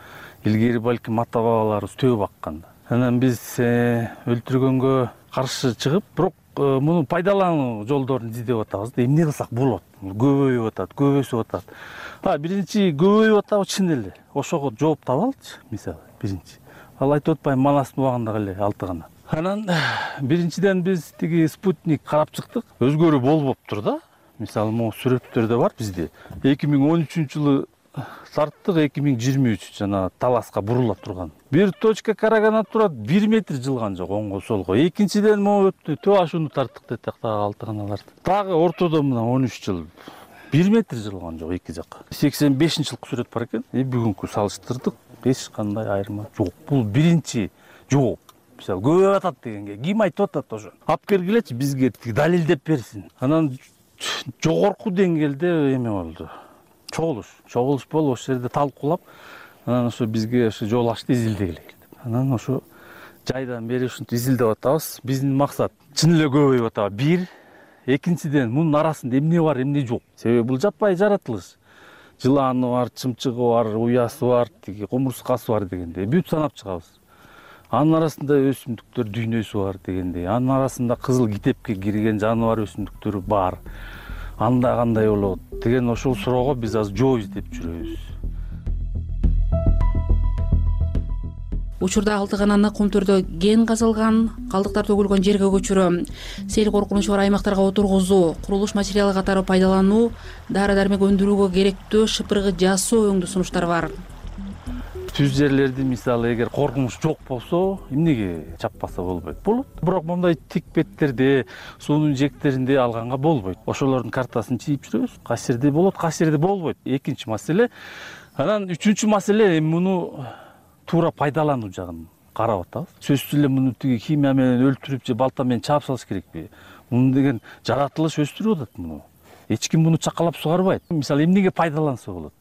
илгери балким ата бабаларыбыз төө баккан да. Анан биз өлтүргөнгө каршы чыгып, бирок муну пайдалануу жолдорун издеп атабыз да. Эмне кылсак болот? Көбөйүп атат, көбөйсүп атат. А биринчи көбөйүп атабы чын эле. Ошого жооп таба алчы, мисалы, биринчи. Ал айтып атпайм, Манастын убагындагы эле Алтыгана. Анан биринчиден биз тиги спутник карап чыктык. Өзгөрүү болуптур да. Мисалы, могу сүрөттөрдө бар бизде. эки миң он үчүнчү жылы тарттык, эки миң жыйырма үч жана таласка бурула турган. Бир точка карагана турат, бир метр жылган жок оңго солго. Экинчиден могу төө ашууну тарттык дедик дагы Алтыганаларды. Дагы ортодо мына он үч жыл бир метр жылган жок эки жак. сексен бешинчи жылкы сүрөт бар экен. И бүгүнкү салыштырдык, эч кандай айырма жок. Бул биринчи жооп. Мисалы, көбөйүп атат дегенге ким айтып атат ошо? Алып кергилечи бизге далилдеп берсин. Анан жогорку деңгээлде эме болду. Чогулуш, чогулуш болуп ошол жерде талкуулап, анан ошо бизге ошо жол ачты, изилдегиле деп. Анан ошо жайдан бери ушинтип изилдеп атабыз. Биздин максат чын эле көбөйүп атабы. Бир, экинчиден мунун арасында эмне бар, эмне жок. Себеби бул жаппай жаратылыш. Жыланы бар, чымчыгы бар, уясы бар, тиги кумурскасы бар дегендей бүт санап чыгабыз. Анын арасында өсүмдүктөр дүйнөсү бар дегендей, анын арасында кызыл китепке кирген жаныбар өсүмдүктөрү бар. Анда кандай болот деген ошол суроого биз азыр жооп издеп жүрөбүз. Учурда Алтыгананы Кумтөрдө кен казылган, калдыктар төгүлгөн жерге көчүрүү, сел коркунучу бар аймактарга отургузуу, курулуш материалы катары пайдалануу, дары-дармек өндүрүүгө керектүү шыпыргы жасоо өңдүү сунуштар бар. Түз жерлерди мисалы эгер коркунуч жок болсо, эмнеге чаппаса болбойт? Болот. Бирок мындай тик беттерде, суунун жектеринде алганга болбойт. Ошолордун картасын чийип жүрөбүз. Кайсы жерде болот, кайсы жерде болбойт. Экинчи маселе. Анан үчүнчү маселе муну туура пайдалануу жагын карап атабыз. Сөзсүз эле муну тиги химия менен өлтүрүп же балта менен чаап салыш керекпи? Муну деген жаратылыш өстүрүп атат муну. Эч ким муну чакалап сугарбайт. Мисалы эмнеге пайдаланса болот?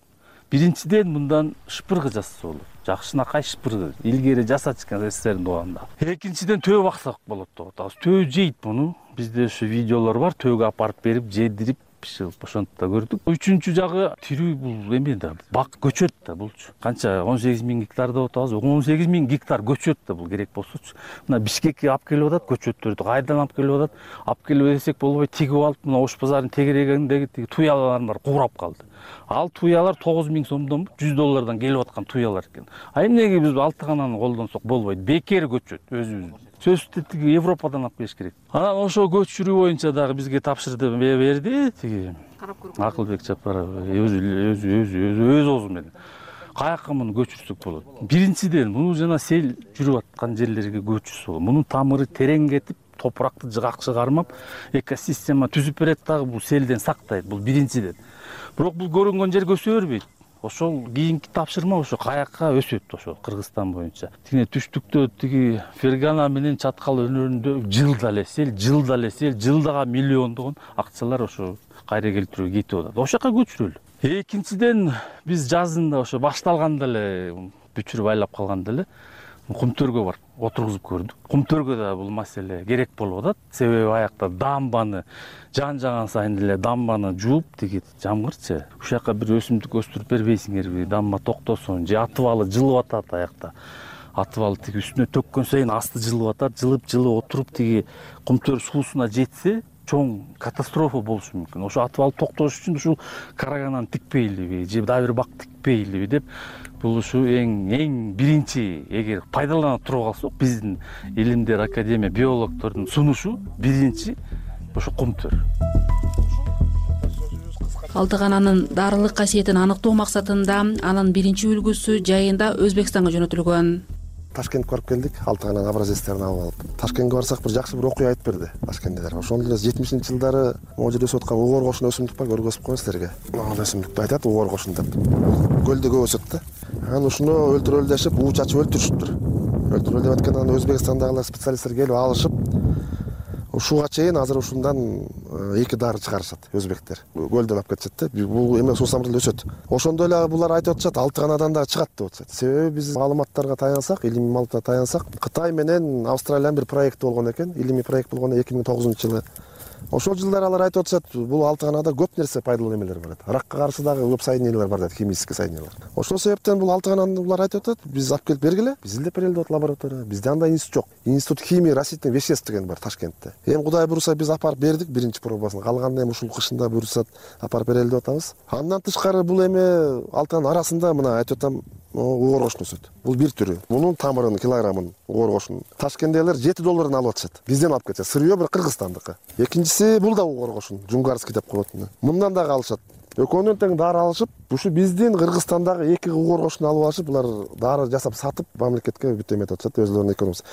Биринчиден мындан шыпыргы жасаса болот. Жакшынакай шыпыргы. Илгери жасачкан СССРдин убагында. Экинчиден төө баксак болот деп атабыз. Төө жейт муну. Бизде ошо видеолор бар. Төөгө апарып берип, жедирип ошентип да көрдүк. Үчүнчү жагы тирүү бул эме да, бак көчөт да булчу. Канча он сегиз миң гектар деп атабыз. он сегиз миң гектар көчөт да бул керек болсочу. Мына Бишкекке алып келип атат көчөттөрдү. Кайдан алып келип атат? Алып келип десек болбой, тигип алып, мына Ош базарынын тегерегиндеги тиги туялар бар, куурап калды. Ал туялар тогуз миң сомдон жүз доллардан келип аткан туялар экен. А эмнеге биз Алтыгананы колдонсок болбойт? Бекер көчөт өзүбүз. Сөзсүз тиги Европадан алып келиш керек. Анан ошо көчүрүү боюнча дагы бизге тапшырды берди тиги Акылбек Жапаров өзү өзү өзү өзү өз оозу менен. Каяка муну көчүрсөк болот? Биринчиден муну жана сел жүрүп аткан жерлерге көчүрсө болот. Мунун тамыры терең кетип, топуракты жыгак чыгармап, экосистема түзүп берет дагы бул селден сактайт. Бул биринчиден. Бирок бул көрүнгөн жерге өсө бербейт. Ошол кийинки тапшырма ошо каяка өсөт ошо Кыргызстан боюнча. Тиги түштүктө тиги Фергана менен Чаткал өнөрүндө жылда эле сел, жылда эле сел, жылдага миллиондогон акчалар ошо кайра келтирүүгө кетип атат. Ошол жака көчүрөлү. Экинчиден биз жазында ошо башталганда эле бүчүрүп айлап калганда эле Кумтөргө бар отургузуп көрдүк. Кумтөргө да бул маселе керек болуп атат. Себеби аякта дамбаны жан жаган сайын эле дамбаны жууп тиги жамгырчы. Ушул жака бир өсүмдүк өстүрүп бербейсиңерби? Дамба токтосун же атыбалы жылып атат аякта. Атыбалы тиги үстүнө төккөн сайын асты жылып атат, жылып-жылып отуруп тиги Кумтөр суусуна жетсе, чоң катастрофа болушу мүмкүн. Ошо атыбалы токтош үчүн ушул карагананы тикпейлиби же дагы бир бак тикпейлиби деп бул ушу эң эң биринчи эгер пайдалана туруп калсак, биздин илимдер академия биологдордун сунушу биринчи ошо Кумтөр. Алтыгананын дарылык касиетин аныктоо максатында анын биринчи үлгүсү жайында Өзбекстанга жөнөтүлгөн. Ташкентке барып келдик, Алтыгананын образецтерин алып алып. Ташкентке барсак бир жакшы бир окуя айтып берди ташкенттер. Ошондо эле жетимишинчи жылдары могу жерде өсүп аткан угор кошун өсүмдүк бар, көргөзүп коеюн силерге. Ал өсүмдүктү айтат угор кошун деп. Көлдө көп өсөт да. Анан ушуну өлтүрөлү дешип, уу чачып өлтүрүшүптүр. Өлтүрөлү деп аткандан Өзбекстандагылар специалисттер келип алышып, ушуга чейин азыр ушундан эки дары чыгарышат өзбектер. Көлдөн алып кетишет да. Бул эме суусамырдыл өсөт. Ошондо эле булар айтып атышат, Алтыганадан дагы чыгат деп атышат. Себеби биз маалыматтарга таянсак, илимий маалыматка таянсак, Кытай менен Австралиянын бир проекти болгон экен. Илимий проект болгон эки миң тогузунчу жылы. Ошол жылдары алар айтып атышат, бул Алтыганада көп нерсе пайдалуу эмелер бар. Ракка каршы дагы көп соединениялар бар дейт, химический соединениялар. Ошол себептен бул Алтыгананы булар айтып атат, биз алып келип бергиле. Биз изилдеп берели деп лаборатория. Бизде андай институт жок. Институт химии растительных веществ деген бар Ташкентте. Эми Кудай буюрса биз апарып бердик биринчи пробасын. Калганын эми ушул кышында буюрса апарып берели деп атабыз. Андан тышкары бул эми Алтыганын арасында мына айтып атам, угор кошун өсөт. Бул бир түрү. Мунун тамырын, килограммын угор кошун Ташкенттегилер жети доллардан алып атышат. Бизден алып кетет. Сырьё бир Кыргызстандыкы. Экинчиси бул да угор кошун, Жунгарский деп коет. Мындан дагы алышат. Экөөнөн тең дары алышып, ушу биздин Кыргызстандагы эки угор кошун алып алышып, булар дары жасап сатып, мамлекетке бүт эметип атышат, өзлөрүнүн экономикасы.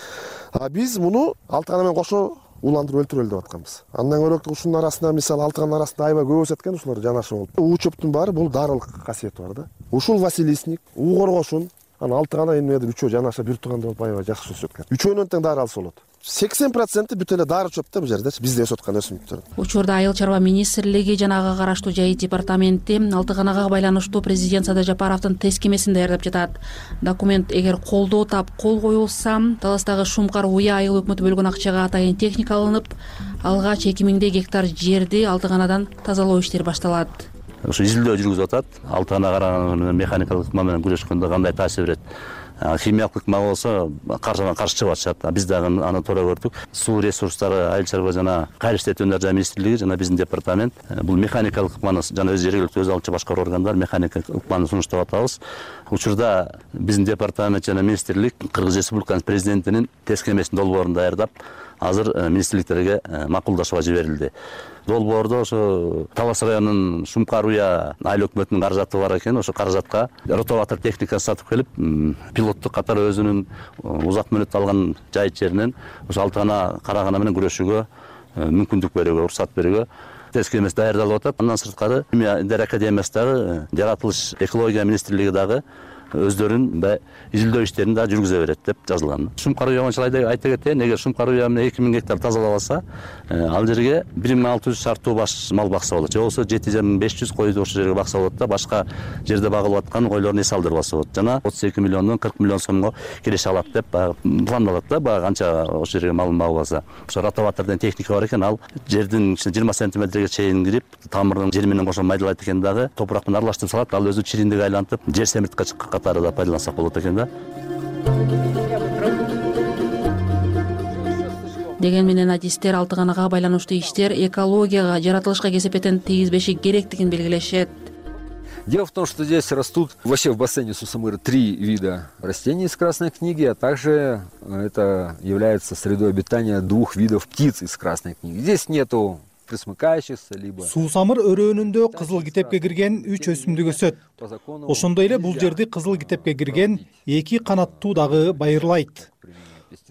А биз муну Алтыгана менен кошо уландырып өлтүрөлү деп атканбыз. Андан көрөк ушунун арасында мисалы Алтыганын арасында аябай көп өсөт экен, ушулар жанашып болуп. Уу чөптүн баары бул дарылык касиети бар да. Ушул Василисник, угор кошун, анан Алтыгана эмнедир үчөө жанаша бир туугандай болуп аябай жакшы өсөт экен. Үчөөнөн тең дары алса болот. сексен проценти бүт эле дары чөп да бул жердечи, бизде өсүп аткан өсүмдүктөрдүн. Учурда Айыл чарба министрлиги жана ага караштуу жайыт департаменти алтыганага байланыштуу президент Садыр Жапаровдун тескемесин даярдап жатат. Документ эгер колдоо тап кол коюлса, Таластагы Шумкар Уя айыл өкмөтү бөлгөн акчага атайын техника алынып, алгач эки миңдей гектар жерди алтыганадан тазалоо иштери башталат. Ушу изилдөө жүргүзүп атат. Алтыгана караган механикалык ыкма менен күрөшкөндө кандай таасир берет? Химиялык ыкма болсо каршыдан каршы чыгып атышат. Биз дагы аны туура көрдүк. Суу ресурстары айыл чарба жана кайрылыш иштетүүлөр жана министрлиги жана биздин департамент бул механикалык ыкманы жана өз жергиликтүү өз алчу башкаруу органдар механикалык ыкманы сунуштап атабыз. Учурда биздин департамент жана министрлик Кыргыз Республикасынын президентинин тескемесин долбоорун даярдап, азыр министрликтерге макулдашууга жиберилди. Долбоордо ошо Талас районунун Шумкар Уя айыл өкмөтүнүн каражаты бар экен. Ошо каражатка ротоватор техникасы сатып келип, пилоттук катары өзүнүн узак мөөнөт алган жайыт жеринен ошо алтыгана карагана менен күрөшүүгө мүмкүндүк берүүгө, уруксат берүүгө тескемеси даярдалып атат. Андан сырткары Дер академиясы дагы, жаратылыш экология министрлиги дагы өздөрүнүн изилдөө иштерин да жүргүзө берет деп жазылган. Шумкар Уя боюнча айта кетейин, эгер Шумкар Уя менен эки миң гектар тазалабаса, ал жерге бир миң алты жүз шарттуу баш мал бакса болот. Же болбосо жети миң беш жүз койду ошол жерге бакса болот да, башка жерде багылып аткан койлордун эс алдырбаса болот. Жана отуз эки миллиондон кырк миллион сомго келише алат деп пландалат да, баягы канча ошол жерге малын багылбаса. Ошо ротоватордун техника бар экен, ал жердин жыйырма сантиметрге чейин кирип, тамырдын жери менен кошо майдалайт экен дагы, топурак менен аралаштырып салат, ал өзү чириндик айлантып, жер семиртке катары да пайдалансак болот экен да. Деген менен адистер алтыганага байланыштуу иштер экологияга, жаратылышка кесепетин тийгизбеши керектигин белгилешет. Дело в том, что здесь растут вообще в бассейне Сусамыры три вида растений из Красной книги, а также это является средой обитания двух видов птиц из Красной книги. Здесь нету присмыкающихся либо. Суусамыр өрөөнүндө кызыл китепке кирген үч өсүмдүк өсөт. Ошондой эле бул жерди кызыл китепке кирген эки канаттуу дагы байырлайт.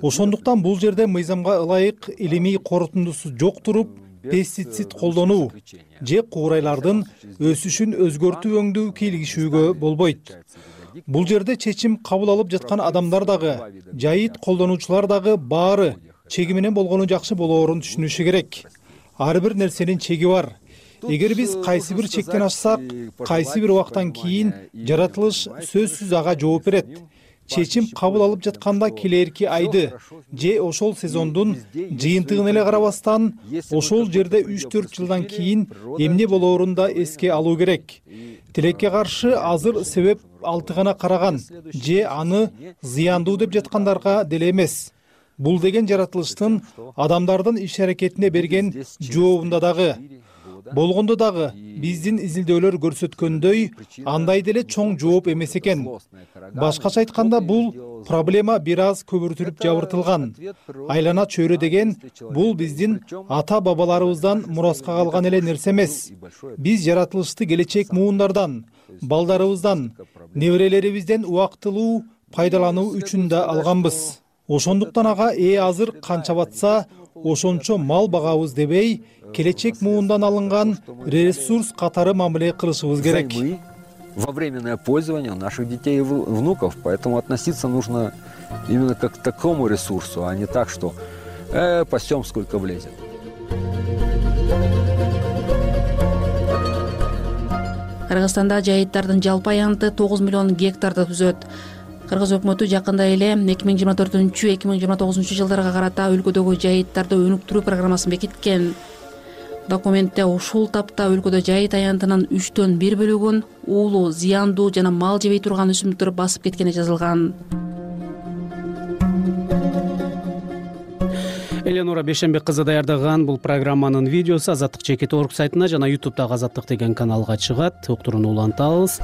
Ошондуктан бул жерде мыйзамга ылайык илимий корутундусу жок туруп, пестицид колдонуу же куурайлардын өсүшүн өзгөртүү өңдүү кийлигишүүгө болбойт. Бул жерде чечим кабыл алып жаткан адамдар дагы, жайыт колдонуучулар дагы баары чеги менен болгону жакшы болоорун түшүнүшү керек. Ар бир нерсенин чеги бар. Эгер биз кайсы бир чектен ашсак, кайсы бир убактан кийин жаратылыш сөзсүз ага жооп берет. Чечим кабыл алып жатканда келерки айды же ошол сезондун жыйынтыгын эле карабастан, ошол жерде үч төрт жылдан кийин эмне болоорун да эске алуу керек. Тилекке каршы азыр себеп алтыгана караган же аны зыяндуу деп жаткандарга деле эмес. Бул деген жаратылыштын адамдардын иш-аракетине берген жообунда дагы. Болгондо дагы биздин изилдөөлөр көрсөткөндөй, андай деле чоң жооп эмес экен. Башкача айтканда, бул проблема бир аз көбүртүлүп жабыртылган. Айлана чөйрө деген бул биздин ата-бабаларыбыздан мураска калган эле нерсе эмес. Биз жаратылышты келечек муундардан, балдарыбыздан, неберелерибизден убактылуу пайдалануу үчүн да алганбыз. Ошондуктан ага ээ азыр канча батса, ошончо мал багабыз дебей, келечек муундан алынган ресурс катары мамиле кылышыбыз керек. Во временное пользование наших детей и внуков, поэтому относиться нужно именно как к такому ресурсу, а не так, что э, пасем сколько влезет. Кыргызстанда жайыттардын жалпы аянты тогуз миллион гектарды түзөт. Кыргыз өкмөтү жакында эле эки миң жыйырма төртүнчү эки миң жыйырма тогузунчу жылдарга карата өлкөдөгү жайыттарды өнүктүрүү программасын бекиткен. Документте ушул тапта өлкөдө жайыт аянтынын үчтөн бир бөлүгүн уулуу, зыяндуу жана мал жебей турган өсүмдүктөр басып кеткени жазылган. Эленора Бешенбек кызы даярдаган бул программанын видеосу Азаттык чекит точка орг сайтына жана ютубтагы Азаттык деген каналга чыгат. Уктурууну улантабыз.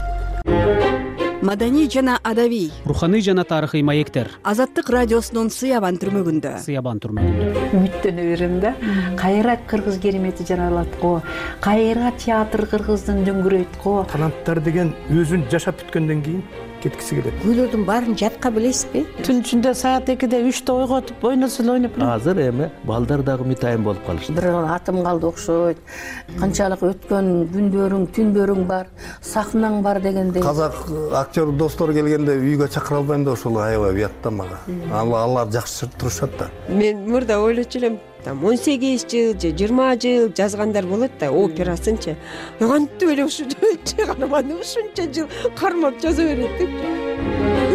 Маданий жана адабий, руханий жана тарыхый маектер. Азаттык радиосунун Сыябан түрмөгүндө. Сыябан түрмөгүндө. Үмүттөнө берем да. Кайра кыргыз керемети жаралат го. Кайра театр кыргыздын дөңгүрөйт го. Таланттар деген өзүн жашап бүткөндөн кийин кеткиси келет. Күйлөрдүн баарын жатка билесизби? Түн ичинде саат экиде үчтө ойготуп ойносун ойноп элем. Азыр эми балдар дагы үмүтайым болуп калышты. Бир атым калды окшойт. Канчалык өткөн күндөрүң, түндөрүң бар, сахнаң бар дегендей. Казак актер достор келгенде үйгө чакыра албайм да ошол аябай уят да мага. Алар жакшы турушат да. Мен мурда ойлочу элем, там он сегиз жыл же жыйырма жыл жазгандар болот да, операсынчы. Кантип эле ушу чыгарманы ушунча жыл кармап жаза берет деп.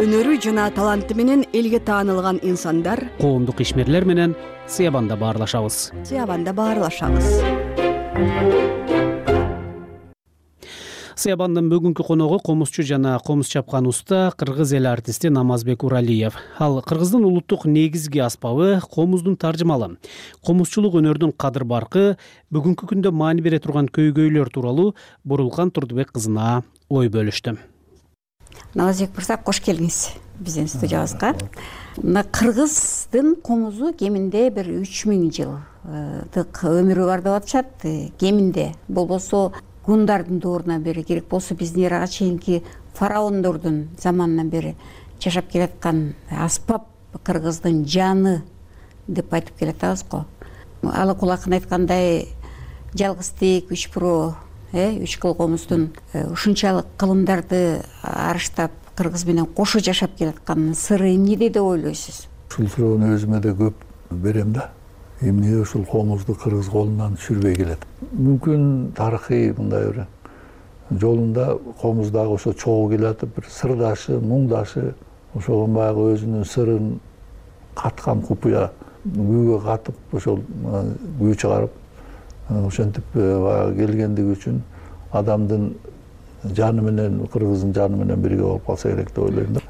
Өнөрү жана таланты менен элге таанылган инсандар коомдук ишмерлер менен Сыябанда баарлашабыз. Сыябанда баарлашабыз. Сыябандын бүгүнкү коногу комузчу жана комуз чапкан уста кыргыз эл артисти Намазбек Уралиев. Ал кыргыздын улуттук негизги аспабы комуздун таржымалы. Комузчулук өнөрдүн кадыр баркы бүгүнкү күндө маани бере турган көйгөйлөр тууралуу Бурулкан Турдубек кызына ой бөлүштү. Намазбек мырза, кош келиңиз биздин студиябызга. Мына кыргыздын комузу кеминде бир үч миң жылдык өмүрү бар деп атышат. Кеминде болбосо гундардын доорунан бери, керек болсо биздин эрага чейинки фараондордун заманынан бери жашап келаткан аспап кыргыздын жаны деп айтып келатабыз го. Алы кулакын айткандай жалгыз тек үч бирөө, үч кыл комуздун ушунчалык кылымдарды арыштап кыргыз менен кошо жашап келатканынын сыры эмнеде деп ойлойсуз? Ушул суроону өзүмө да көп берем да. Эмне ушул комузду кыргыз колунан түшүрбөй келет. Мүмкүн тарыхый мындай бир жолунда комуз дагы ошо чогуу келатып, бир сырдашы, муңдашы, ошого баягы өзүнүн сырын каткан купуя күүгө катып, ошол күү чыгарып, ошентип баягы келгендиги үчүн адамдын жаны менен, кыргыздын жаны менен бирге болуп калса керек деп ойлойм да.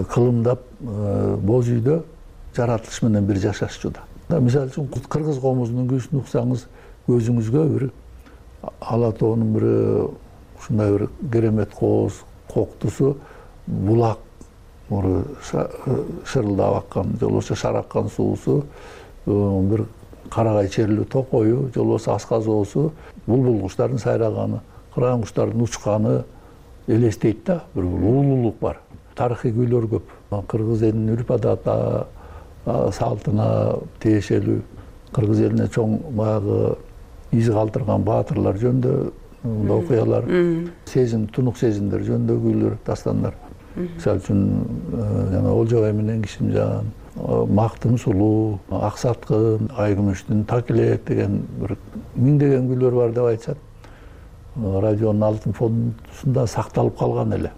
Кылымдап боз үйдө жаратылыш менен бир жашашчу да. Мисалы үчүн кыргыз комузунун күүсүн уксаңыз көзүңүзгө бир ала тоонун бир ушундай бир керемет кооз коктусу булак шырылдап аккан, же болбосо шараккан суусу, бир карагай черлүү токою, же болбосо асказоосу, булбул куштардын сайраганы, кыран куштардын учканы элестейт да, бир улуулук бар. Тарыхый күүлөр көп. Кыргыз элинин үрп адаты, салтына тиешелүү, кыргыз элине чоң баягы из калтырган баатырлар жөнүндө окуялар, сезим, тунук сезимдер жөнүндө күүлөр, дастандар. Мисалы үчүн жана Олжобай менен Кишимжан, Мактын сулуу, Аксаткын, Айкүмүштүн Такилек деген бир миңдеген күүлөр бар деп айтышат. Радионун алтын фондусунда сакталып калган эле.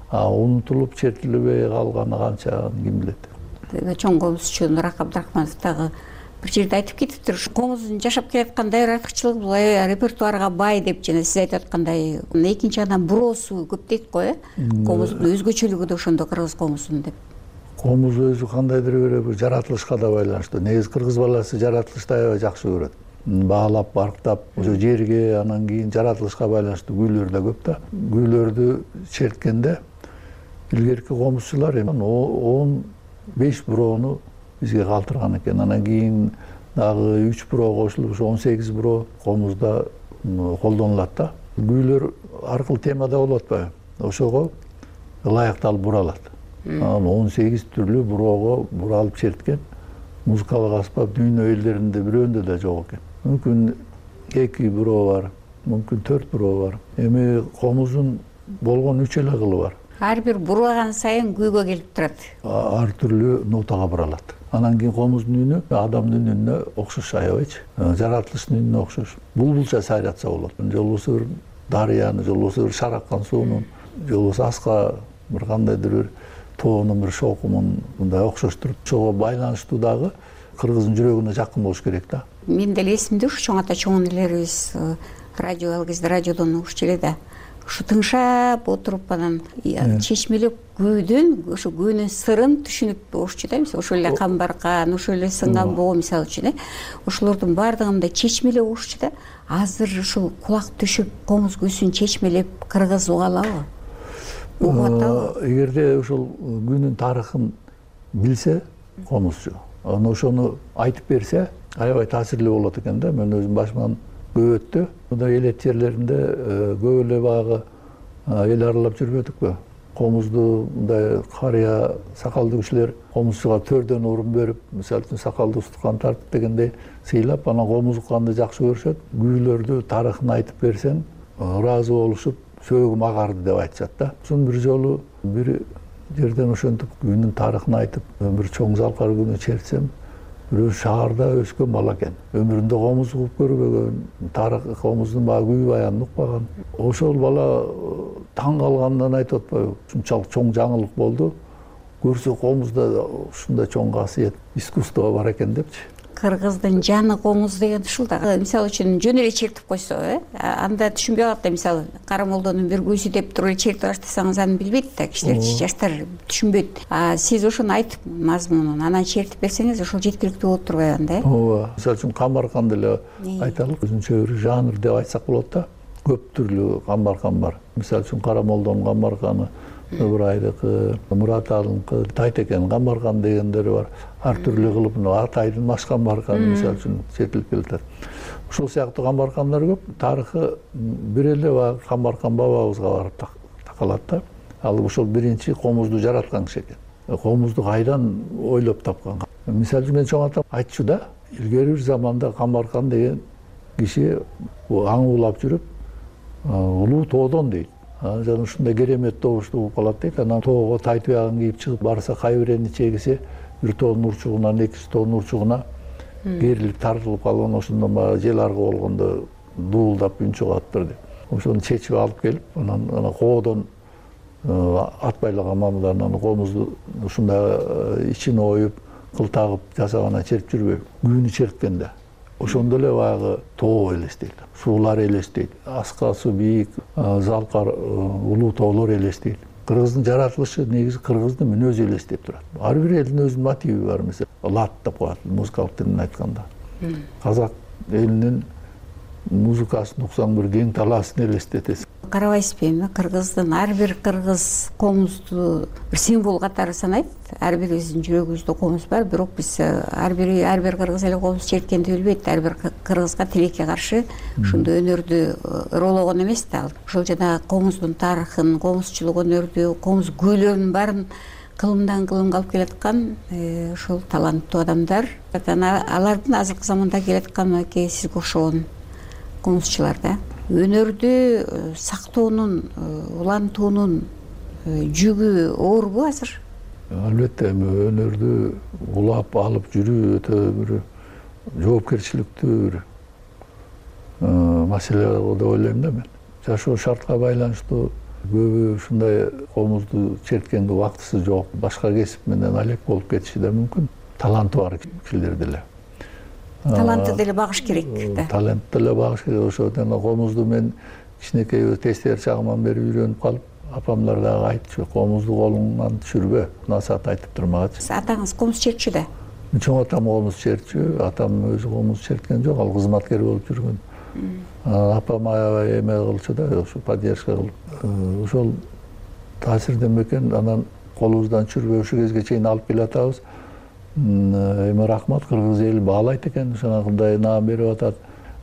А унутулуп, чертилбей калганы канча, ким билет. Чоң комузчу Нурак Абдрахманов дагы бир жерде айтып кетиптир. Комуздун жашап келаткан дайыр артыкчылыгы бул репертуарга бай деп жана сиз айтып аткандай экинчи адам буроосу көп дейт го, э? Комуздун өзгөчөлүгү да ошондо кыргыз комузунун деп. Комуз өзү кандайдыр бир жаратылышка да байланыштуу. Негизи кыргыз баласы жаратылышты аябай жакшы көрөт. Баалап, барктап, ошо жерге, анан кийин жаратылышка байланыштуу күүлөр да көп да. Күүлөрдү черткенде илгерки комузчулар он беш бироону бизге калтырган экен. Анан кийин дагы үч бироо кошулуп, ошо он сегиз бироо комузда колдонулат да. Күүлөр ар кыл темада болуп атпайбы? Ошого ылайыкталып буралат. Анан он сегиз түрлүү буроого буралып черткен музыкалык аспап дүйнө элдеринде бирөөндө да жок экен. Мүмкүн эки бирөө бар, мүмкүн төрт бирөө бар. Эми комуздун болгон үч эле кылы бар. Ар бир бураган сайын күүгө келип турат. Ар түрлүү нотага буралат. Анан кийин комуздун үнү адамдын үнүнө окшош аябайчы. Жаратылыштын үнүнө окшош. Булбулча сайратса болот. Же болбосо бир дарыяны, же болбосо бир шараккан суунун, же болбосо аска бир кандайдыр бир тоонун бир шокумун мындай окшоштуруп, ошого байланыштуу дагы кыргыздын жүрөгүнө жакын болуш керек да. Мен деле эсимде ушу чоң ата чоң энелерибиз радио ал кезде радиодон угушчу эле да. Ушу тыңшап отуруп анан чечмелеп күүдөн, ошо күүнүн сырын түшүнүп угушчу да. Мисалы ошол эле камбаркан, ошол эле сынган боо мисалы үчүн, э. Ошолордун баардыгын да чечмелеп угушчу да. Азыр ушул кулак түшүп, комуз күүсүн чечмелеп кыргыз уга алабы? Угуп атабы? Эгерде ошол күүнүн тарыхын билсе комузчу, анан ошону айтып берсе, аябай таасирлүү болот экен да. Мен өзүм башыман көп өттү. Мындай элет жерлеринде көп эле баягы эл аралап жүрбөдүкпү? комузду мындай карыя сакалдуу кишилер комузчуга төрдөн орун берип, мисалы үчүн сакалды устукан тартып дегендей сыйлап, анан комуз укканды жакшы көрүшөт. Күүлөрдү тарыхын айтып берсең, ыраазы болушуп, сөөгүм агарды деп айтышат да. Соң бир жолу бир жерден ошентип күүнүн тарыхын айтып, бир чоң залкар күнү чертсем, бирөө шаарда өскөн бала экен. Өмүрүндө комуз угуп көрбөгөн, тарых комуздун баягы күү баянын укпаган. Ошол бала таң калганынан айтып атпайбы? Ушунчалык чоң жаңылык болду. Көрсө комузда ушундай чоң касиет, искусство бар экен депчи. Кыргыздын жаны комуз деген ушул да. Мисалы үчүн жөн эле чертип койсо, э, анда түшүнбөй калат да. Мисалы кара молдонун бир күүсү деп туруп эле чертип баштасаңыз аны билбейт да кишилер, жаштар түшүнбөйт. А сиз ошону айтып мазмунун анан чертип берсеңиз, ошол жеткиликтүү болуп турбайбы анда, э? Ооба. Мисалы үчүн камбарканды эле айталык, өзүнчө бир жанр деп айтсак болот да. Көп түрлүү камбаркан бар. Мисалы үчүн кара молдонун камбарканы, Ыбырайдыкы, Мурат Алынкы, Тайтекен камбаркан дегендери бар. Ар түрлүү кылып, Атайдын маш камбарканы мисалы үчүн чертилип келатат. Ошол сыяктуу камбаркандар көп. Тарыхы бир эле баягы камбаркан бабабызга барып такалат да. Ал ошол биринчи комузду жараткан киши экен. Комузду кайдан ойлоп тапкан? Мисалы үчүн мен чоң атам айтчу да, илгери бир заманда камбаркан деген киши аң улап жүрүп, улуу тоодон дейт. Жана ушундай керемет добушту угуп калат дейт. Анан тоого тай туягын кийип чыгып барса, кайбирени чегисе, бир тоонун урчугунан экинчи тоонун урчугуна керилип тартылып калган, ошондон баягы жел аргы болгондо дуулдап үн чыгып атыптыр деп. Ошону чечип алып келип, анан ана коодон ат байлаган мамыдар анан комузду ушундай ичин оюп, кыл тагып жасагандан чертип жүрбөйбү? Күүнү черткенде. Ошондо эле баягы тоо элестейт, суулар элестейт, аскасы бийик, залкар улуу тоолор элестейт. Кыргыздын жаратылышы негизи кыргыздын мүнөзү элестеп турат. Ар бир элдин өзүнүн мотиви бар, мисалы лат деп коет музыкалык тилинен айтканда. Казак элинин музыкасын уксаң бир кең талаасын элестетесиң. Карабайсызбы эми Кыргыздын ар бир кыргыз комузду бир символ катары санайт. Ар бирибиздин жүрөгүбүздө комуз бар, бирок биз ар бири ар бир кыргыз эле комуз черткенди билбейт. Ар бир кыргызга тилекке каршы ушундай өнөрдү ыроологон эмес да ал. Ошол жана комуздун тарыхын, комузчулук өнөрдү, комуз күүлөрүнүн баарын кылымдан кылымга алып келаткан ошол таланттуу адамдар. Алардын азыркы заманда келаткан мынакей сизге окшогон комузчулар да. Өнөрдү сактоонун, улантуунун жүгү оорбу азыр? Албетте, эми өнөрдү улап алып жүрүү өтө бир жоопкерчиликтүү бир маселе деп ойлойм да мен. Жашоо шартка байланыштуу көбү ушундай комузду черткенге убактысы жок, башка кесип менен алек болуп кетиши да мүмкүн. Таланты бар кишилер деле. Талантты деле багыш керек да. Талантты деле багыш керек. Ошондон комузду мен кичинекей тестер чагыман бери үйрөнүп калып, апамдар дагы айтчу, комузду колуңан түшүрбө, насаат айтып турмагачы. Атаңыз комуз чертчү да? Чоң атам комуз чертчү, атам өзү комуз черткен жок, ал кызматкер болуп жүргөн. Апам аябай эме кылчу да, ошо поддержка кылып. Ошол таасирден бекен, анан колубуздан түшүрбөй ушул кезге чейин алып келатабыз. Эми рахмат, кыргыз эли баалайт экен, ушундай наам берип атат.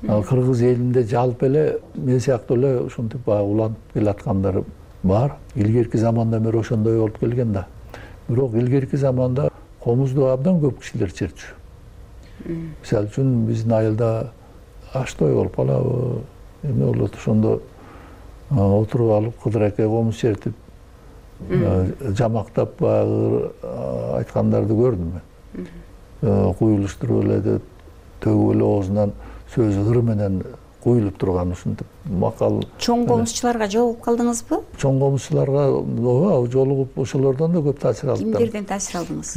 Кыргыз элинде жалпы эле мен сыяктуу эле ушинтип баягы уланып келаткандар бар. Илгерки заманда бери ошондой болуп келген да. Бирок илгерки заманда комузду абдан көп кишилер чертчү. Мисалы үчүн биздин айылда аштой болуп калабы, эме болот, ошондо отуруп алып кыдыраке комуз чертип жамактап баягы айткандарды көрдүм мен. Куюлуштуруп эле төгүп эле оозунан сөз ыр менен куюлуп турган ушинтип макал. Чоң комузчуларга жолугуп калдыңызбы? Чоң комузчуларга ооба жолугуп ошолордон да көп таасир алдым. Кимдерден таасир алдыңыз?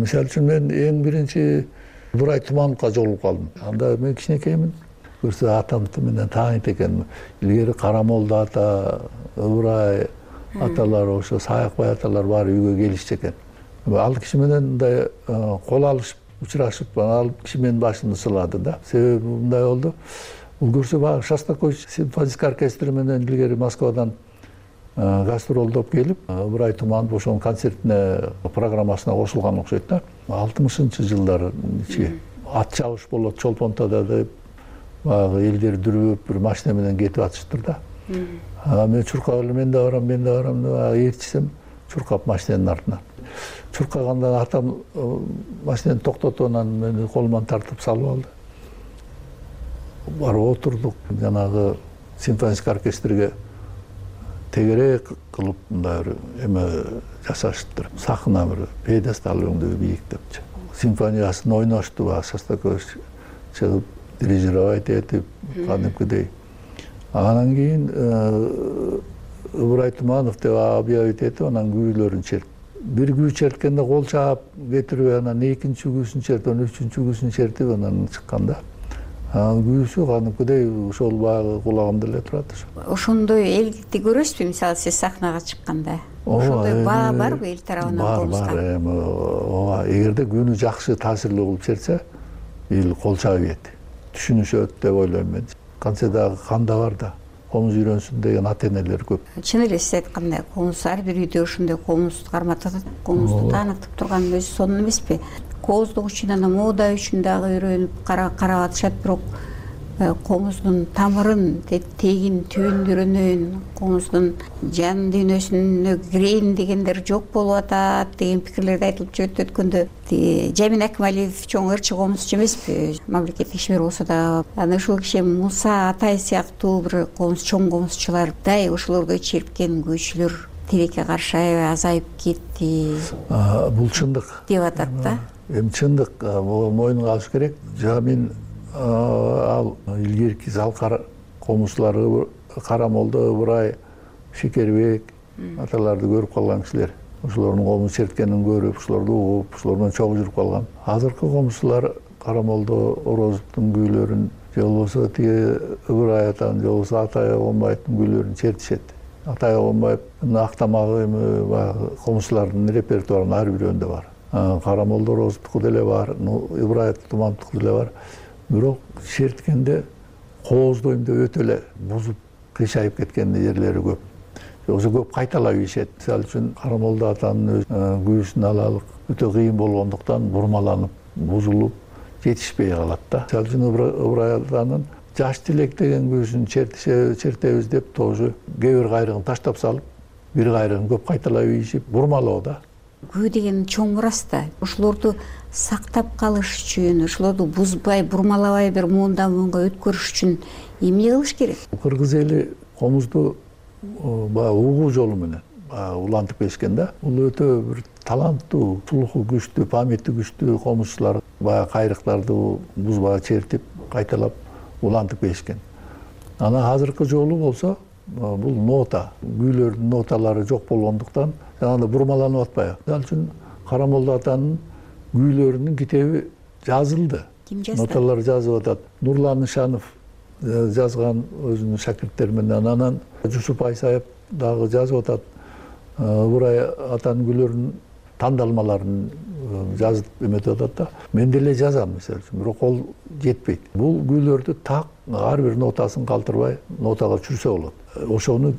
Мисалы үчүн мен эң биринчи Ыбырай Тумановго жолугуп калдым. Анда мен кичинекеймин. Көрсө атам менен тааныйт экен. Илгери Карамолду ата, Ыбырай аталар, ошо Саякбай аталар баары үйгө келишчү экен. Ал киши менен мындай кол алышып, учурашып, ал киши менин башымды сылады да. Себеби мындай болду. Бул көрсө баягы Шостакович симфонический оркестри менен илгери Москвадан гастролдоп келип, Ыбырай Туманов ошонун концертине программасына кошулган окшойт да. алтымышынчы жылдары ичи ат чабыш болот Чолпонтода деп баягы элдер дүрүп бир машина менен кетип атышыптыр да. Мен чуркап эле мен да барам, мен да барам деп ээрчисем, чуркап машинанын артынан. Чуркаганда атам машинени токтотуп анан мени колуман тартып салып алды. Барып отурдук, жанагы симфонический оркестрге тегерек кылып мындай бир эме жасаштыр. Сахна бир пьедестал өңдүү бийиктепчи. Симфониясын ойношту, Шостакович чыгып дирижировать этип, кадимкидей. Анан кийин Ыбырай Туманов деп объявить этип, анан күүлөрүн чертти. Бир күү черткенде кол чаап кетирип, анан экинчи күүсүн чертип, анан үчүнчү күүсүн чертип, анан чыкканда анан күүсү кадимкидей ошол баягы кулагымда эле турат. Ошондой элдикти көрөсүзбү, мисалы сиз сахнага чыкканда? Ошондой баа барбы эл тарабынан колуңузга? Бар, бар. Ооба, эгерде күнү жакшы таасирлүү кылып чертсе, эл кол чаап ийет. Түшүнүшөт деп ойлойм мен. Кантсе дагы канда бар да, комуз үйрөнсүн деген ата-энелер көп. Чын эле сиз айткандай, комуз ар бир үйдө ошондой комуз карматып, комузду таанытып турган өзү сонун эмеспи? Кооздук үчүн, анан мода үчүн дагы үйрөнүп карап атышат, бирок комуздун тамырын, тегин, түбүн үйрөнөйүн, комуздун жан дүйнөсүнө кирейин дегендер жок болуп атат деген пикирлерди айтылып жүрөт. Өткөндө Жамин Акмалиев чоң ырчы комузчу эмеспи, мамлекеттик ишмер болсо да, анан ушул киши Муса Атай сыяктуу бир комуз, чоң комузчулардай ошолордой чирипкен күүчүлөр тилекке каршы аябай азайып кетти. Бул чындык деп атат да. Эми чындык мойнуна алыш керек. Жамин ал илгерки залкар комузчулары Карамолдо, Ыбырай, Шекербек аталарды көрүп калган кишилер. Ошолордун комуз черткенин көрүп, ошолорду угуп, ошолор менен чогуу жүрүп калган. Азыркы комузчулар Карамолдо Орозовдун күүлөрүн, же болбосо тиги Ыбырай атанын, же болбосо Атай Огонбаевдин күүлөрүн чертишет. Атай Огонбаевдин актамагы эми баягы комузчулардын репертуарынын ар бирөөндө бар. Карамолдо Орозовдуку деле бар, Ыбырай Тумановдуку деле бар. Бирок черткенде кооздойм деп өтө эле бузуп, кыйшайып кеткен жерлери көп. Ошо көп кайталап ийишет. Мисалы үчүн Карамолдо атанын күүсүн алалык өтө кыйын болгондуктан бурмаланып, бузулуп, жетишпей калат да. Мисалы үчүн Ыбырай атанын жаш тилек деген күүсүн чертебиз деп тоже кээ бир кайрыгын таштап салып, бир кайрыгын көп кайталап ийишип, бурмалоо да. Күү деген чоң мурас да. Ошолорду сактап калыш үчүн, ошолорду бузбай, бурмалабай бир муундан муунга өткөрүш үчүн эмне кылыш керек? Кыргыз эли комузду баягы угуу жолу менен улантып келишкен да. Бул өтө бир таланттуу, слуху күчтүү, памяти күчтүү комузчулар баягы кайрыктарды бузбай чертип, кайталап улантып келишкен. Анан азыркы жолу болсо бул нота, күүлөрдүн ноталары жок болгондуктан жанагындай бурмаланып атпайбы. Мисалы үчүн Карамолдо атанын күүлөрүнүн китеби жазылды. Ким жазды? Ноталар жазып атат. Нурлан Ишанов жазган өзүнүн шакирттери менен, анан Жусуп Айсаев дагы жазып атат. Ыбырай атанын күүлөрүнүн тандалмаларын жазып эметип атат да. Мен деле жазам мисалы үчүн, бирок ол жетпейт. Бул күүлөрдү так ар бир нотасын калтырбай нотага чүрсө болот. Ошону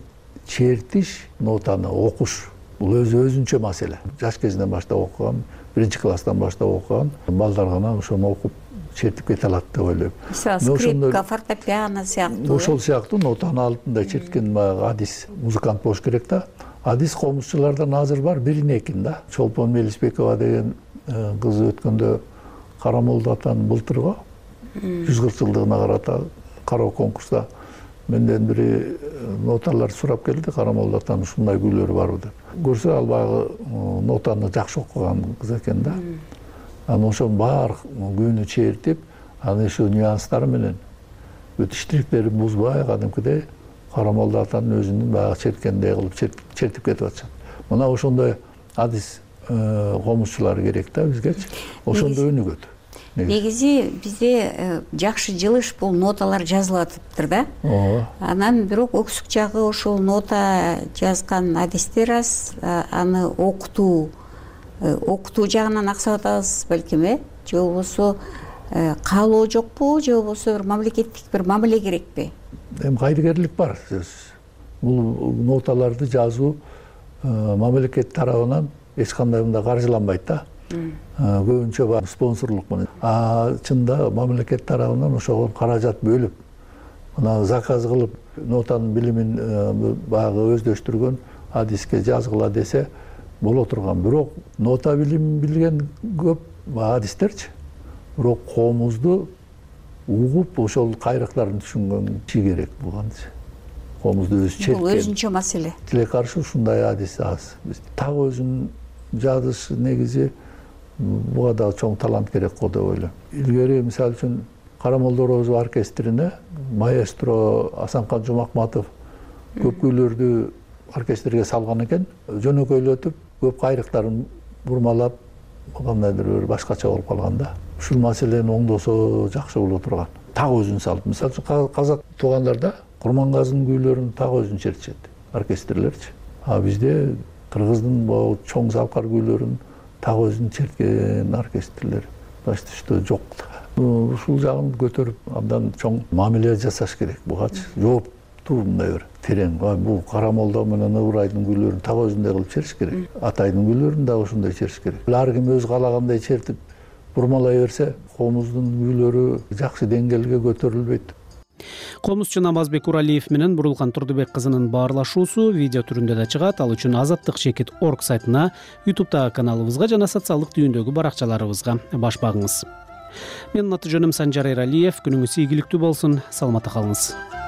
чертиш, нотаны окуш бул өзү өзүнчө маселе. Жаш кезинен баштап окуган, биринчи класстан баштап окуган балдар гана ошону окуп чертип кете алат деп ойлойм. Мисалы скрипка, фортепиано сыяктуу. Ошол сыяктуу нотаны алтында черткен баягы адис музыкант болуш керек да. Адис комузчулардан азыр бар бирин экин да. Чолпон Мелисбекова деген кыз өткөндө Карамолдо атанын былтырго жүз кырк жылдыгына карата кароо конкурста менден бири ноталар сурап келди. Карамолдо атанын ушундай күүлөрү барбы деп. Көрсө ал баягы нотаны жакшы окуган кыз экен да. Анан ошонун баар күүнү чертип, анын ошо нюанстары менен бүт штрихтерин бузбай, кадимкидей Карамолдо атанын өзүнүн баягы черткендей кылып чертип кетип атышат. Мына ошондой адис комузчулар керек да бизгечи. Ошондо өнүгөт. Негизи бизде жакшы жылыш бул ноталар жазылып атыптыр да. Ооба. Анан бирок өксүк жагы ошол нота жазган адистер аз, аны окутуу окутуу жагынан аксап атабыз балким, э? Же болбосо каалоо жокпу, же болбосо бир мамлекеттик бир мамиле керекпи? Эми кайдыгерлик бар сөзсүз. Бул ноталарды жазуу мамлекет тарабынан эч кандай мындай каржыланбайт да. Көбүнчө бар спонсорлук менен. А чында мамлекет тарабынан ошого каражат бөлүп, мына заказ кылып нотанын билимин баягы өздөштүргөн адиске жазгыла десе боло турган. Бирок нота билим билген көп адистерчи. Бирок коомузду угуп ошол кайрыктарын түшүнгөн киши керек булганчы. Коомузду өзү черткен. Бул өзүнчө маселе. Тиле каршы ушундай адис аз. Так өзүн жазыш негизи буга да чоң талант керек го деп ойлойм. Илгери мисалы үчүн Кара Молдорозов оркестрине маэстро Асанкан Жумакматов көп күйлөрдү оркестрге салган экен. Жөнөкөйлөтүп, көп кайрыктарын бурмалап, кандайдыр бир башкача болуп калган да. Ушул маселени оңдосо жакшы боло турган. Так өзүн салып, мисалы үчүн казак туугандарда Курмангазынын күйлөрүн так өзүн чертишет оркестрлерчи. А бизде кыргыздын бул чоң залкар күйлөрүн так өзүн черткен оркестрлер почти что жок. Ушул жагын көтөрүп абдан чоң мамиле жасаш керек бугачы. Жооптуу мындай бир терең. Бул Кара Молдо менен Ыбырайдын күйлөрүн так өзүндөй кылып чертиш керек. Атайдын күйлөрүн да ошондой чертиш керек. Ар ким өз каалагандай чертип бурмалай берсе, коомуздун күйлөрү жакшы деңгээлге көтөрүлбөйт. Комузчу Намазбек Уралиев менен Бурулкан Турдубек кызынын баарлашуусу видео түрүндө да чыгат. Ал үчүн азаттык чекит точка орг сайтына, ютубтагы каналыбызга жана социалдык түйүндөгү баракчаларыбызга баш багыңыз. Менин аты жөнүм Санжар Эралиев. Күнүңүз ийгиликтүү болсун. Саламатта калыңыз.